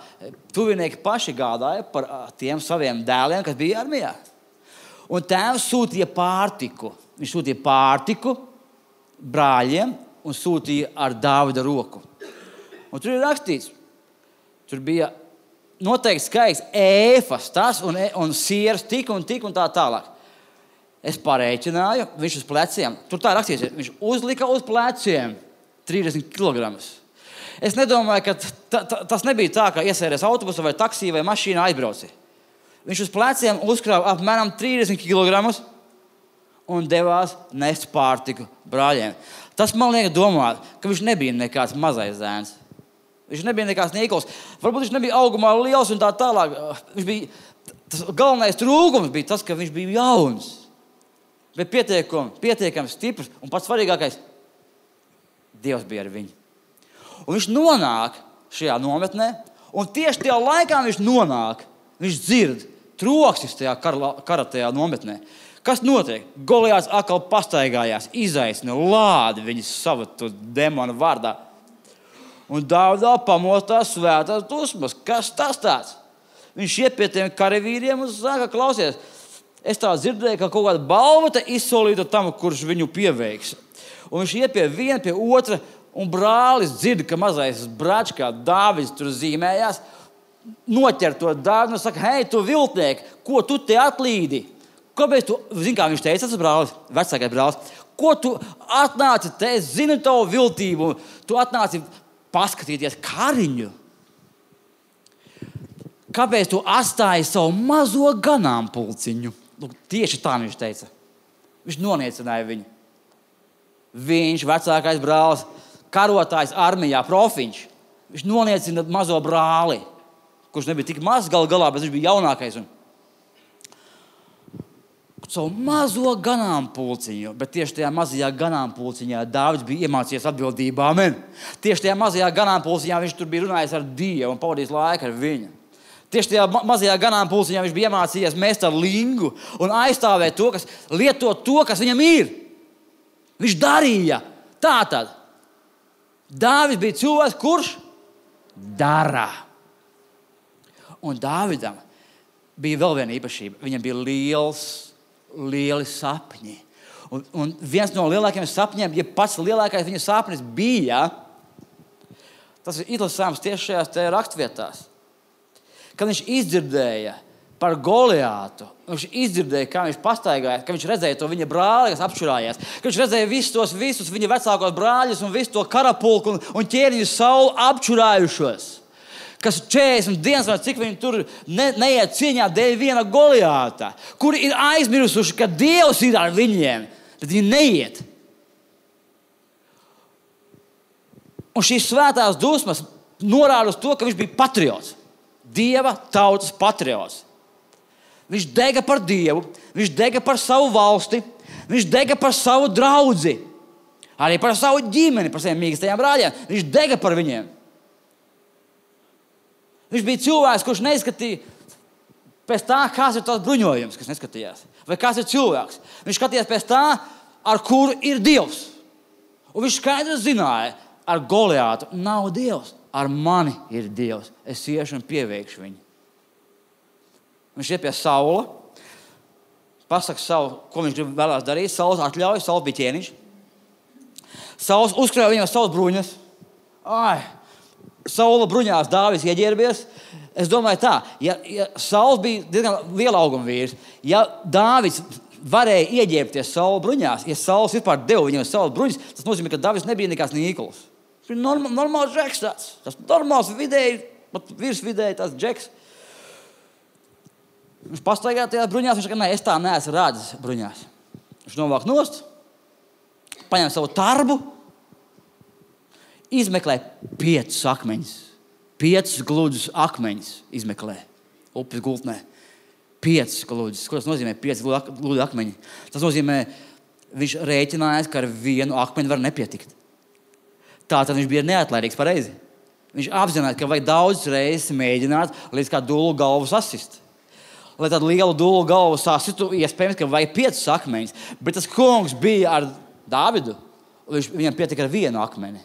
tuvinieki paši gādāja par tiem saviem dēliem, kas bija armijā. Un tēvs sūtīja pārtiku. Viņš sūtīja pārtiku brāļiem un sūtīja ar Dāvida roku. Un tur ir rakstīts, tur bija noteikti skaits ēfas, tas un sieras tik un tā tālāk. Es parēķināju, viņš uz pleciem, tur tā rakstīts, viņš uzlika uz pleciem 30 kg. Es nedomāju, ka tas nebija tā, ka iesēries autobusu vai taksī vai mašīnā aizbrauci. Viņš uz pleciem uzkrāva apmēram 30 kg un devās nest pārtiku brāļiem. Tas man liek domāt, ka viņš nebija nekāds mazais zēns. Viņš nebija nekāds nīkls. Varbūt viņš nebija augumā liels un tā tālāk. Tas galvenais trūkums bija tas, ka viņš bija jauns. Bet pietiekami stiprs un pats svarīgākais, Dievs bija ar viņu. Un viņš nonāk šajā nometnē, un tieši tajā laikā viņš nonāk, viņš dzird troksnis tajā kara tajā nometnē. Kas notiek? Goliāts atkal pastaigājās, izaicina lādi viņas savu demonu vārdā. Un Dāvidā pamostās svētās dusmas. Kas tas tāds? Viņš iet pie tiem karavīriem un saka, klausies, es tā dzirdēju, ka kaut kāda balva te izsolīta tam, kurš viņu pieveiks. Un viņš iet pie viena, pie otra, un brālis dzird, ka mazais brāčs, kā Dāvids tur zīmējās, noķer to Dāvidu un saka, hei, tu viltnieki, ko tu te atlīdi? Kāpēc tu, zini, kā viņš teica, tas brālis, vecākais brālis, ko tu atnāci te, es zinu tavu viltību, tu atnāci paskatīties kariņu. Kāpēc tu atstāji savu mazo ganāmpulciņu? Tieši tā viņš teica. Viņš noniecināja viņu. Viņš, vecākais brālis, karotājs armijā, profiņš, viņš noniecina mazo brāli, kurš nebija tik mazs galā, bet viņš bija jaunākais. Savu mazo ganāmpulciņu, bet tieši tajā mazajā ganāmpulciņā Dāvids bija iemācījies atbildībā. Amen. Tieši tajā mazajā ganāmpulciņā viņš tur bija runājis ar Dievu un pavadījis laiku ar viņu. Tieši tajā mazajā ganāmpulciņā viņš bija iemācījies mest ar lingu un aizstāvēt to, lietot to, kas viņam ir. Viņš darīja. Tātad Dāvids bija cilvēks, kurš dara. Un Dāvidam bija vēl viena īpašība. Viņam bija lieli sapņi. Un viens no lielākajiem sapņiem, ja pats lielākais viņa sapnis bija, tas ir izlasāms tieši šajās rakstvietās. Kad viņš izdzirdēja par Goliātu, viņš izdzirdēja, kā viņš pastaigāja, ka viņš redzēja to viņa brāli, kas apšurājās, ka viņš redzēja visus viņa vecākos brāļus un visu to karapulku un ķēniņu Saulu apšurājušos, kas 40 dienas vai cik viņi tur neiet cīņā dēļ viena Goliāta, kuri ir aizmirsuši, ka Dievs ir ar viņiem, bet viņi neiet. Un šīs svētās dusmas norāda uz to, ka viņš bija patriots. Dieva tautas patriots. Viņš dega par Dievu, viņš dega par savu valsti, viņš dega par savu draudzi, arī par savu ģimeni, par saviem mīkstajiem brāļiem. Viņš dega par viņiem. Viņš bija cilvēks, kurš neizskatīja pēc tā, kāds ir tās bruņojums, kas neskatījās. Vai kāds ir cilvēks. Viņš skatījās pēc tā, ar kuru ir Dievs. Un viņš skaidri zināja, ar Goliātu nav Dievs. Ar mani ir Dievs. Es iešu un pieveikšu viņu. Viņš iet pie Saula, pasaka Saulu, ko viņš vēlās darīt. Sauls atļauj, Sauls bija ķēniņš. Sauls uzkrāja viņam savas bruņas. Saula bruņās, Dāvids ieģērbies. Es domāju tā, ja Sauls bija diezgan liela auguma vīrs, ja Dāvids varēja ieģērbties Saula bruņās, ja Sauls vispār deva viņam savas bruņas, tas nozīmē, ka Dāvids nebija nekāds nīkulis. Viņš bija normāls džeks tāds. Tas normāls vidēji, pat virs vidēji tāds džeks. Viņš pastaigāja tajās bruņās, viņš saka, es tā neesmu rādzis bruņās. Viņš novāk nost, paņem savu tarbu, izmeklē 5 akmeņus. 5 gludus akmeņus izmeklē. Upes gultnē. 5 gludus. Ko tas nozīmē 5 gludu akmeņi? Tas nozīmē, viņš rēķinājās, ka ar vienu akmeņu var nepietikt. Tātad viņš bija neatlaidīgs pareizi. Viņš apzinājās, ka vajag daudz reizes mēģināt, līdz kā dūlu galvu sasist. Lai tādu lielu dūlu galvu sasistu, iespējams, ka vajag 5 akmeņus. Bet tas kungs bija ar Dāvidu. Viņam pietika ar vienu akmeni.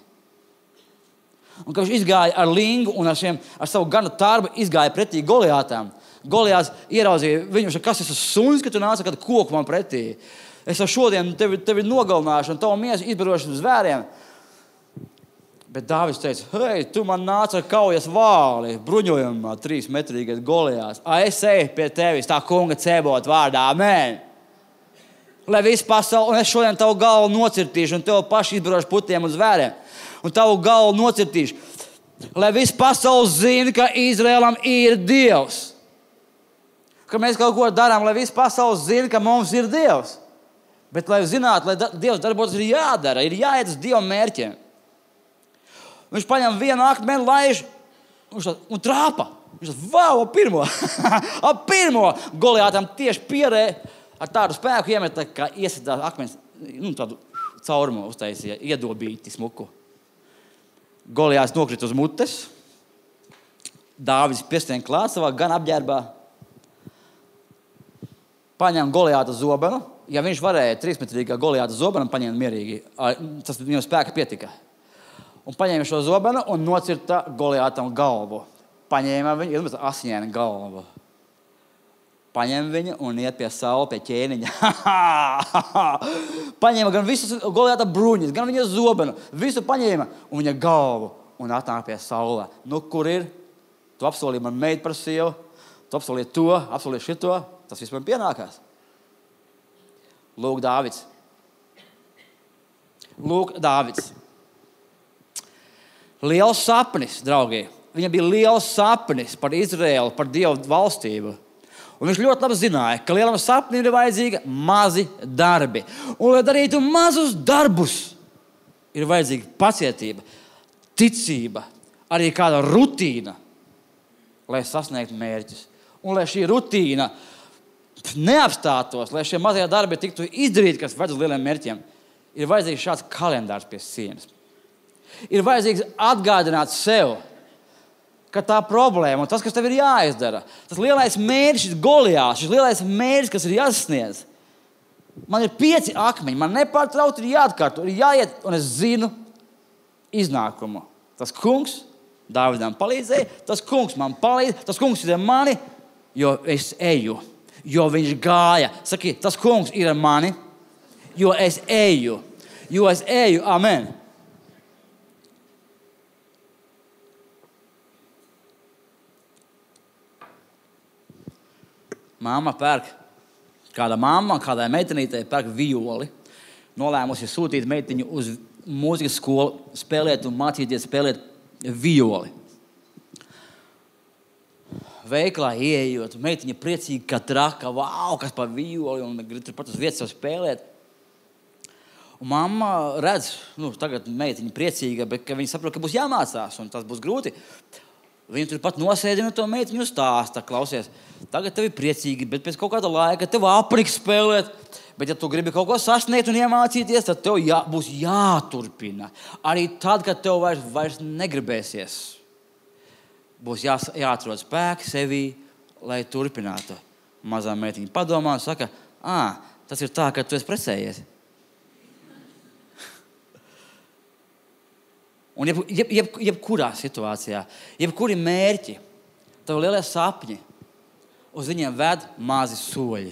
Un kad viņš izgāja ar lingu un ar savu ganu tarbu izgāja pretī Goliātam. Goliāts ieraudzīja viņu, kas esmu suns, ka tu nāc ar kādu koku man pretī. Es jau šodien tevi nogalināšu un tavu miesu izbarošu uz zvēriem. Bet Dāvids teica, hei, tu man nāc ar kaujas vāli, bruņojumā 3-metrīgais Goliāts. Es eju pie tevis, tā kunga Cebota vārdā, amen. Lai viss pasauli, un es šodien tavu galvu nocirtīšu un tev paši izbarošu putiem un zvēriem. Un tavu galvu nocirtīšu. Lai viss pasauli zina, ka Izraēlam ir Dievs. Ka mēs kaut ko darām, lai viss pasauli zina, ka mums ir Dievs. Bet, lai zinātu, lai Dievs darbotos, ir jādara, ir jāiet uz Dieva mērķiem. Viņš paņem vienu akmeni, laiž un trāpa. Viņš saka, vau, ap pirmo Goliātam tieši pierē ar tādu spēku iemet, kā iesitās akmens, tādu caurumu uztaisīja, iedobīti smuku. Goliāts nokrita uz mutes, Dāvids piestien klāt savā gan apģērbā, paņem Goliāta zobenu. Ja viņš varēja 3-metrīgā Goliāta zobenu paņemt mierīgi, tas viņam spēka pietika. Un paņēma šo zobenu un nocirta Goliātam galvu. Paņēma viņu, asiņaina galvu. Paņēma viņu un iet pie Saula, pie ķēniņa. Paņēma gan visus Goliāta bruņus, gan viņa zobenu. Visu paņēma un viņa galvu un atnāk pie Saula. Nu, kur ir? Tu apsolīji man meitu par sievu, tu apsolīji to, apsolīji šito. Tas viss man pienākās. Lūk, Dāvids. Liels sapnis, draugi. Viņam bija liels sapnis par Izraēlu, par Dievu valstību. Un viņš ļoti labi zināja, ka lielam sapnim ir vajadzīgi mazi darbi. Un, lai darītu mazus darbus, ir vajadzīga pacietība, ticība, arī kāda rutīna, lai sasniegtu mērķus. Un lai šī rutīna neapstātos, lai šie mazie darbi tiktu izdarīti, kas ved uz lieliem mērķiem, ir vajadzīgs šāds kalendārs pie sienas. Ir vajadzīgs atgādināt sev, ka tā problēma un tas, kas tev ir jāizdara, tas lielais mērķis, šis Goliāts, šis lielais mērķis, kas ir jāsasniedz. Man ir 5 akmeņi, man nepārtraukti ir jāatkārto, ir jāiet, un es zinu iznākumu. Tas kungs Dāvidam palīdzēja, tas kungs man palīdz, tas kungs ir ar mani, jo es eju. Jo viņš gāja. Saki, tas kungs ir ar mani, jo es eju. Amen. Māma pērk, kāda mamma, kādai meitenītei pērk violi. Nolēmusi sūtīt meitiņu uz mūzikas skolu, spēlēt un mācīties spēlēt violi. Veiklā ieejot, meitiņa priecīga, ka traka, vau, kas par violi, un grib turpat uz vietas spēlēt. Un mamma redz, tagad meitiņa priecīga, bet ka viņa saprot, ka būs jāmācās, un tas būs grūti. Viņa turpat nosēdina to meitiņu stāsta, klausies, tagad tev ir priecīgi, bet pēc kaut kāda laika tev apriks spēlēt, bet ja tu gribi kaut ko sasniegt un iemācīties, tad tev būs jāturpina. Arī tad, kad tev vairs negribēsies. Būs jāatrod spēki sevī, lai turpinātu. Mazā meitiņa padomā un saka, tas ir tā, ka tu esi precējies. Un jebkurā situācijā, jebkuri mērķi, tev lielie sapņi, uz viņiem ved mazi soļi.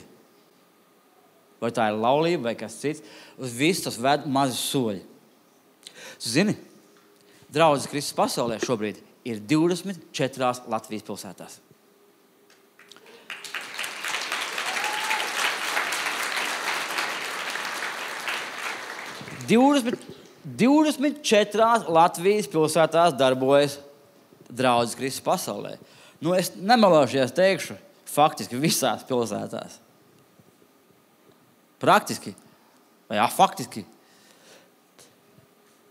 Vai tā ir laulība vai kas cits, uz visu tas ved mazi soļi. Zini, draudzes Kristus pasaulē šobrīd ir 24 Latvijas pilsētās. Divdesmit 24 Latvijas pilsētās darbojas draudzes Kristus pasaulē. Es nemelošies teikšu, faktiski visās pilsētās. Praktiski, vai faktiski,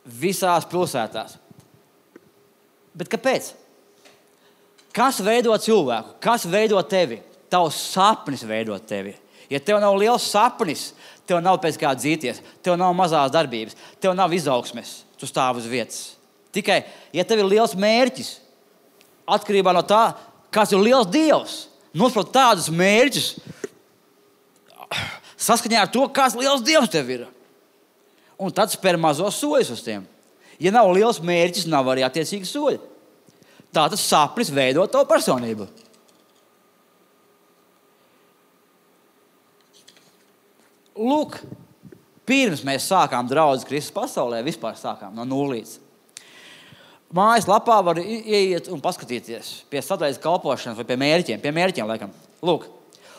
visās pilsētās. Bet kāpēc? Kas veido cilvēku? Kas veido tevi? Tavs sapnis veido tevi. Ja tev nav liels sapnis, tev nav pēc kā dzīties, tev nav mazās darbības, tev nav izaugsmes, tu stāv uz vietas. Tikai, ja tev ir liels mērķis, atkarībā no tā, kas ir liels Dievs, nosprot tādus mērķus, saskaņā ar to, kāds liels Dievs tev ir. Un tad spēr mazos soļus uz tiem. Ja nav liels mērķis, nav arī attiecīgi soļi. Tātad sapnis veido tavu personību. Lūk, pirms mēs sākām draudzes Kristus pasaulē, vispār sākām no nulles. Mājas lapā var ieiet un paskatīties pie sadaļas kalpošanas vai pie mērķiem laikam. Lūk,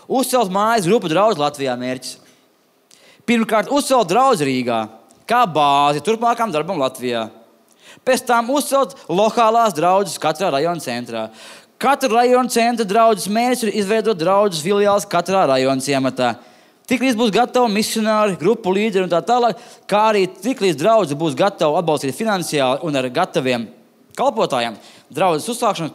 uzcelt mājas grupu draudzes Latvijā mērķis. Pirmkārt, uzcelt draudzes Rīgā kā bāzi turpmākām darbam Latvijā. Pēc tam uzcelt lokālās draudzes katrā rajona centrā. Katra rajona centra draudzes mērķis ir izveidot draudzes filiāles katrā rajona ciematā. Tiklīdz būs gatavi misionāri, grupu līderi un tā tālāk, kā arī tiklīdz draudzes būs gatava atbalstīt finansiāli un ar gataviem kalpotājiem, draudzes uzsākšana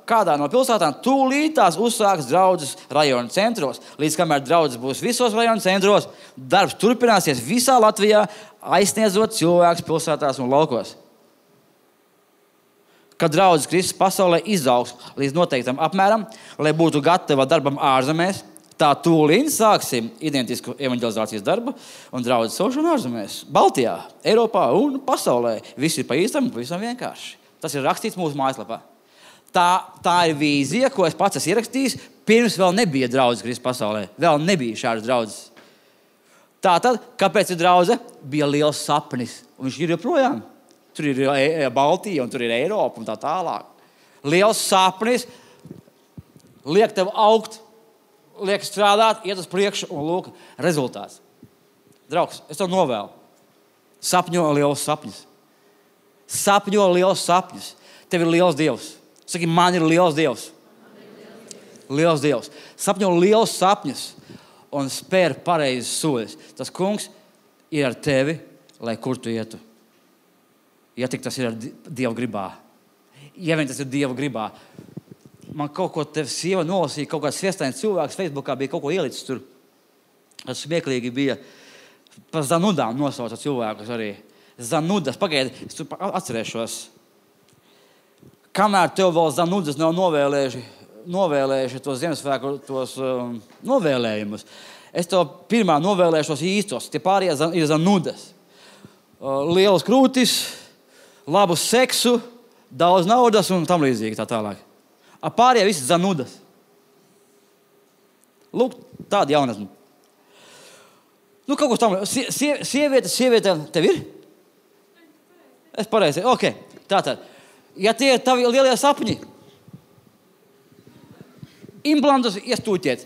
kādā no pilsētām tūlītās uzsāks draudzes rajona centros. Līdz kamēr draudzes būs visos rajona centros, darbs turpināsies visā Latvijā, aizsniedzot cilvēkus pilsētās un laukos. kad draudzes Kristus pasaulē izaugs līdz noteiktam apmēram, lai būtu gatava darbam ārzemēs, tā tūlīt sāksim identisku evanģelizācijas darbu un draudzes saušanu ārzemēs. Baltijā, Eiropā un pasaulē. Viss ir pa īstam un pavisam vienkārši. Tas ir rakstīts mūsu mājaslapā. Tā ir vīzija, ko es pats esmu ierakstījis, pirms vēl nebija draudzes Kristus pasaulē. Vēl nebija šādas draudzes. Tātad, kāpēc ir draudze? Bija liels sapnis, un viņš ir joprojām. Tur ir Baltija, un tur ir Eiropa, un tā tālāk. Liels sapnis liek tev augt, liek strādāt, iet uz priekšu, un lūk, rezultāts. Draugs, es tev novēlu. Sapņo liels sapņus. Sapņo liels sapņus. Tev ir liels Dievs. Saki, man ir liels Dievs. Liels Dievs. Sapņo liels sapņus un spēr pareizes soļus. Tas kungs ir ar tevi, lai kur tu ietu. Ja tik tas ir ar Dieva gribā. Ja vien tas ir Dieva gribā. Man kaut ko tev sieva nolasīja, kaut kāds sviestains cilvēks Facebookā bija kaut ko ielicis tur. Tas smieklīgi bija. Par Zanudām nosauca cilvēkus arī. Zanudas, pagaidi, es tur atcerēšos. Kamēr tev vēl Zanudas nav novēlējuši tos Ziemassvētku novēlējumus, es tev pirmā novēlēšu tos īstos. Tie pārējie ir Zanudas. Lielas krūtis, labu seksu, daudz naudas un tam līdzīgi tā tālāk. Pārējie visi Zanudas. Lūk, tāda jaunatne. Nu, kaut ko tam. Sieviete, tev ir? Es pareizi. Ok, tātad. Ja tie ir tavi lielie sapņi, implantus iestūķiet.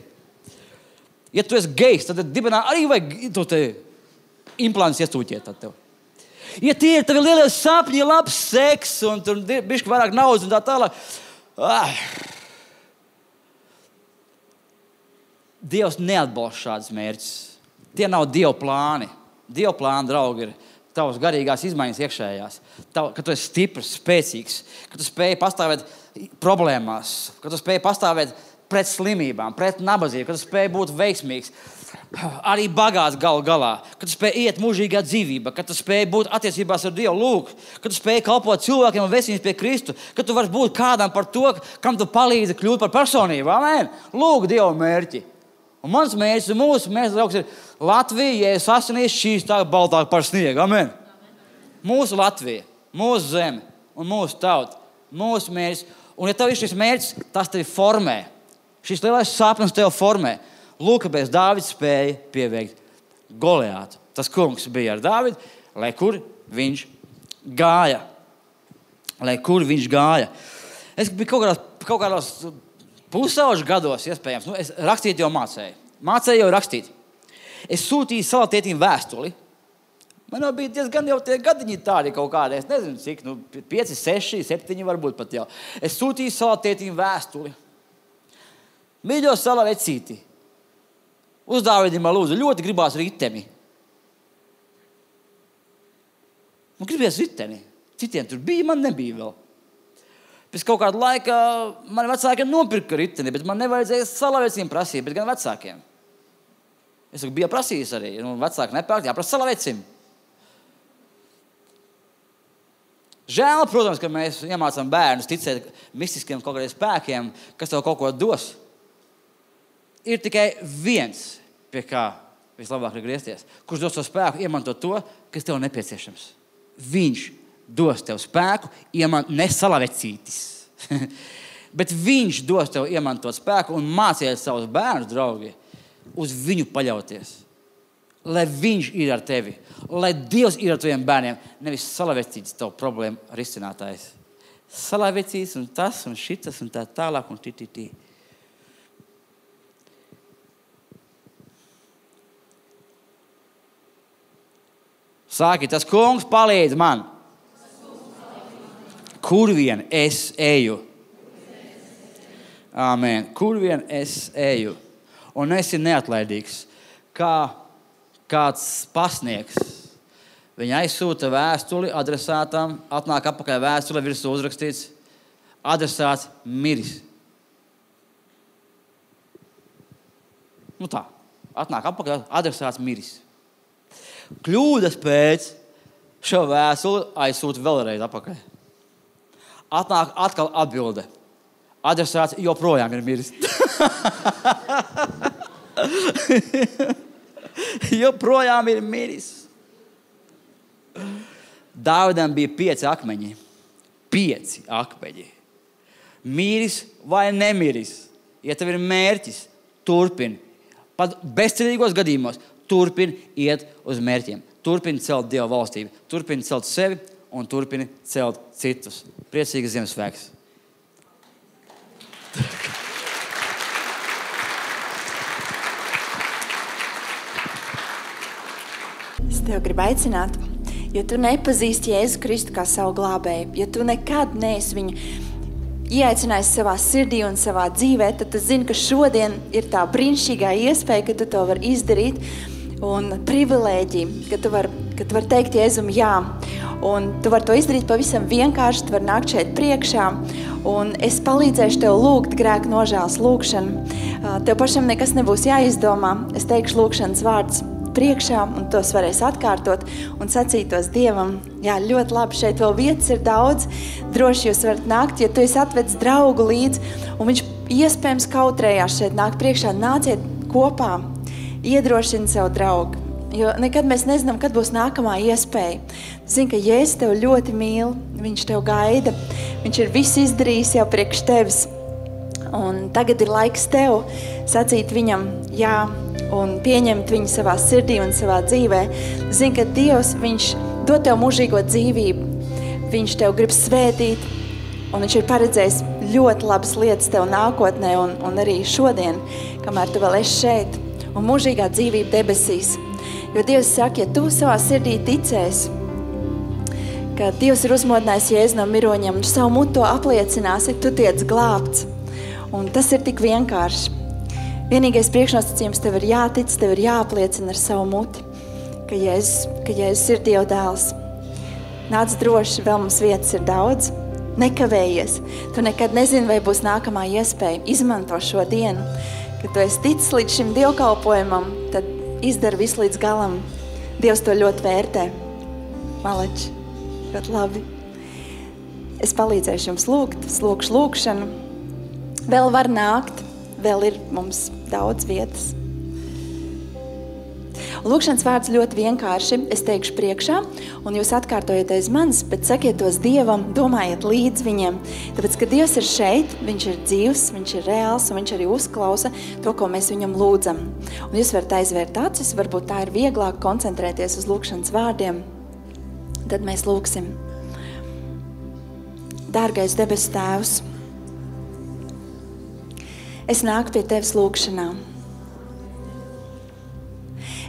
Ja tu esi gejs, tad dibenā arī vajag to te implantus iestūķiet. Tad tev. Ja tie ir tavi lielie sapņi, labs seks un tur bišķi vairāk naudas un tā tālāk. Dievs neatbalsta šādas mērķus. Tie nav Dieva plāni. Dieva plāni, draugi, ir tavas garīgās izmaiņas iekšējās. Ka tu esi stiprs, spēcīgs, ka tu spēj pastāvēt problēmās, ka tu spēj pastāvēt pret slimībām, pret nabadzību, ka tu spēj būt veiksmīgs, arī bagāts galu galā, ka tu spēj iet mūžīgā dzīvībā, ka tu spēj būt attiecībās ar Dievu, lūk, ka tu spēj kalpot cilvēkiem un vesties pie Kristu, ka tu vari būt kādam par to, kam tu palīdzi kļūt par personību. Amen. Lūk, Dieva mērķi. Un mans mērķis un mūsu mērķis, draugs, ir Latvija, Jēzus asinīs šķīstāk, baltāk par sniegu. Amen. Mūsu Latvija, mūsu zeme un mūsu tauta, mūsu mērķis. Un ja tev ir šis mērķis, tas tevi formē. Šis lielais sapnis tevi formē. Lūk, kāpēc Dāvids spēja pieveikt Goliātu. Tas kungs bija ar Dāvidu, lai kur viņš gāja. Es biju kaut kādās pusauģu gados, iespējams. Es rakstīt jau mācēju. Mācēju jau rakstīt. Es sūtīju savā tētim vēstuli. Man jau bija diezgan jau tie gadiņi tādi kaut kādi. Es nezinu, cik, 5, 6, 7 varbūt pat jau. Es sūtīju savā tētim vēstuli. Mīļo sala vecīti. Uz Dāvidim lūdzu, ļoti gribās riteni. Gribies riteni. Citiem tur bija, man nebija vēl. Pēc kaut kāda laika mani vecākiem nopirka riteni, bet man nevajadzēja salavecim prasīt, bet gan vecākiem. Es biju prasījis arī, vecāki nepērk, jāprasa salavecim. Žēl, protams, ka mēs iemācām bērnus ticēt mistiskiem kaut kādiem spēkiem, kas tev kaut ko dos. Ir tikai viens, pie kā vislabāk ir griezties, kurš dos to spēku iemantot to, kas tev nepieciešams. Viņš dos tev spēku, ne salavecītis. Bet viņš dos tev iemantot spēku un māciet savus bērnus, draugi, uz viņu paļauties. Lai viņš ir ar tevi. Lai Dievs ir ar taviem bērniem. Nevis salavecītis tavu problēmu risinātājs. Salavecītis un tas un šitas un tā tālāk un tī. Sāki, tas kungs palīdz man. Kur vien es eju. Āmen. Kur vien es eju. Un esi neatlaidīgs. Kā kāds pasniegs. Viņa aizsūta vēstuli adresātam, atnāk apakaļ vēstule, virsū uzrakstīts, adresāts miris. Tā. Atnāk apakaļ, adresāts miris. Kļūdas pēc šo vēstuli aizsūta vēlreiz apakaļ. Atnāk atkal atbilde. Adresāts joprojām ir miris. Joprojām ir miris. Dāvidam bija 5 akmeņi. 5 akmeņi. Miris vai nemiris. Ja tev ir mērķis, turpini. Pat bezcerīgos gadījumos turpini iet uz mērķiem. Turpini celt Dieva valstību. Turpini celt sevi un turpini celt citus. Priecīgas Ziemassvētkus! Es tev gribu aicināt, ja tu nepazīsti Jēzu Kristu kā savu glābēju, ja tu nekad neesi viņu ieaicinājis savā sirdī un savā dzīvē, tad tu zini, ka šodien ir tā brīnišķīgā iespēja, ka tu to vari izdarīt un privilēģija, ka tu vari teikt Jēzum jā. Un tu vari to izdarīt pavisam vienkārši, tu vari nākt šeit priekšā un es palīdzēšu tev lūgt grēku nožēlas lūgšanu. Tev pašam nekas nebūs jāizdomā, es teikšu lūgšanas vārds priekšā un tos varēs atkārtot un sacītos Dievam. Jā, ļoti labi, šeit vēl vietas ir daudz, droši jūs varat nākt, ja tu esi atvedis draugu līdz un viņš iespējams kautrējās šeit nākt priekšā, nāciet kopā, iedrošini savu draugu. Jo nekad mēs nezinām, kad būs nākamā iespēja. Zini, ka Jēzus tev ļoti mīl, viņš tev gaida, viņš ir visu izdarījis jau priekš tevis. Un tagad ir laiks tev sacīt viņam jā un pieņemt viņu savā sirdī un savā dzīvē. Zini, ka Dievs, viņš dod tev mūžīgo dzīvību, viņš tev grib svētīt un viņš ir paredzējis ļoti labas lietas tev nākotnē un arī šodien, kamēr tu vēl esi šeit un mūžīgā dzīvība debesīs. Jo Dievs saka, ja tu savā sirdī ticēsi, ka Dievs ir uzmodinājis Jēzu no miroņiem un savu mutu apliecināsi, tu tiec glābts. Un tas ir tik vienkārši. Vienīgais priekšnosacījums tev ir jātic, tev ir jāapliecina ar savu muti, ka Jēzus ir Dieva dēls. Nāc droši, vēl mums vietas ir daudz. Nekavējies. Tu nekad nezini, vai būs nākamā iespēja. Izmanto šo dienu. Kad tu esi ticis līdz šim dievkalpojumam, tad izdara visu līdz galam. Dievs to ļoti vērtē. Maleči, ļoti labi. Es palīdzēšu jums lūgt, lūkšu lūkšanu. Vēl var nākt, vēl ir mums daudz vietas. Lūkšanas vārds ļoti vienkārši. Es teikšu priekšā, un jūs atkārtojiet aiz manis, bet sakiet tos Dievam, domājiet līdz viņiem. Tāpēc, ka Dievs ir šeit, viņš ir dzīvs, viņš ir reāls, un viņš arī uzklausa to, ko mēs viņam lūdzam. Un jūs varat aizvērt acis, varbūt tā ir vieglāk koncentrēties uz lūkšanas vārdiem. Tad mēs lūksim. Dārgais debesu Tēvs, es nāku pie Tevis lūkšanā.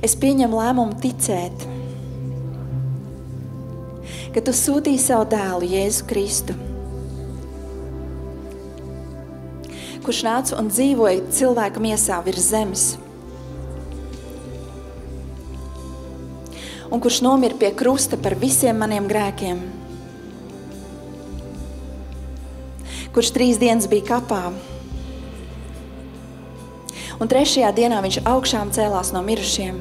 Es pieņemu lēmumu ticēt, ka Tu sūtīji savu dēlu Jēzu Kristu, kurš nāca un dzīvoja cilvēku miesā virs zemes, un kurš nomira pie krusta par visiem maniem grēkiem, kurš 3 dienas bija kapā, un 3. dienā viņš augšām cēlās no mirušiem.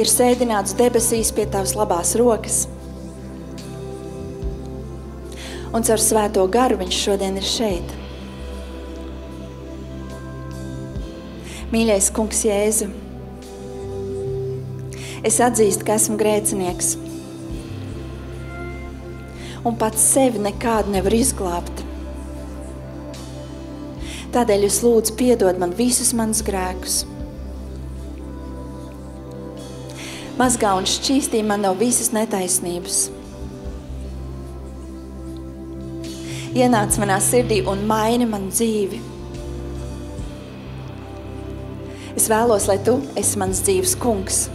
Ir sēdināts debesīs pie Tavas labās rokas. Un caur svēto garu viņš šodien ir šeit. Mīļais kungs Jēzu, es atzīstu, ka esmu grēcinieks. Un pats sevi nekādu nevar izglābt. Tādēļ es lūdzu piedod man visus manus grēkus. Mazgā un šķīstī man no visas netaisnības. Ienāc manā sirdī un maini man dzīvi. Es vēlos, lai Tu esi mans dzīves kungs.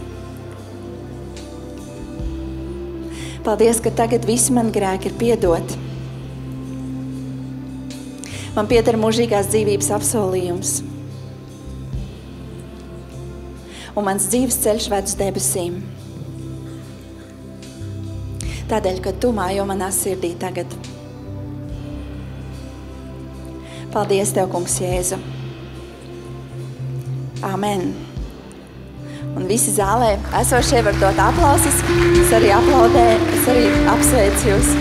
Paldies, ka tagad visi mani grēki ir piedoti. Man pieder mūžīgās dzīvības apsolījums. Un mans dzīves ceļš ved uz debesīm. Tādēļ, ka Tu mājo manā sirdī tagad. Paldies Tev, kungs Jēzu. Amen. Un visi zālē esošie var dot aplausus. Es arī aplaudēju, es arī apsveicu jūs.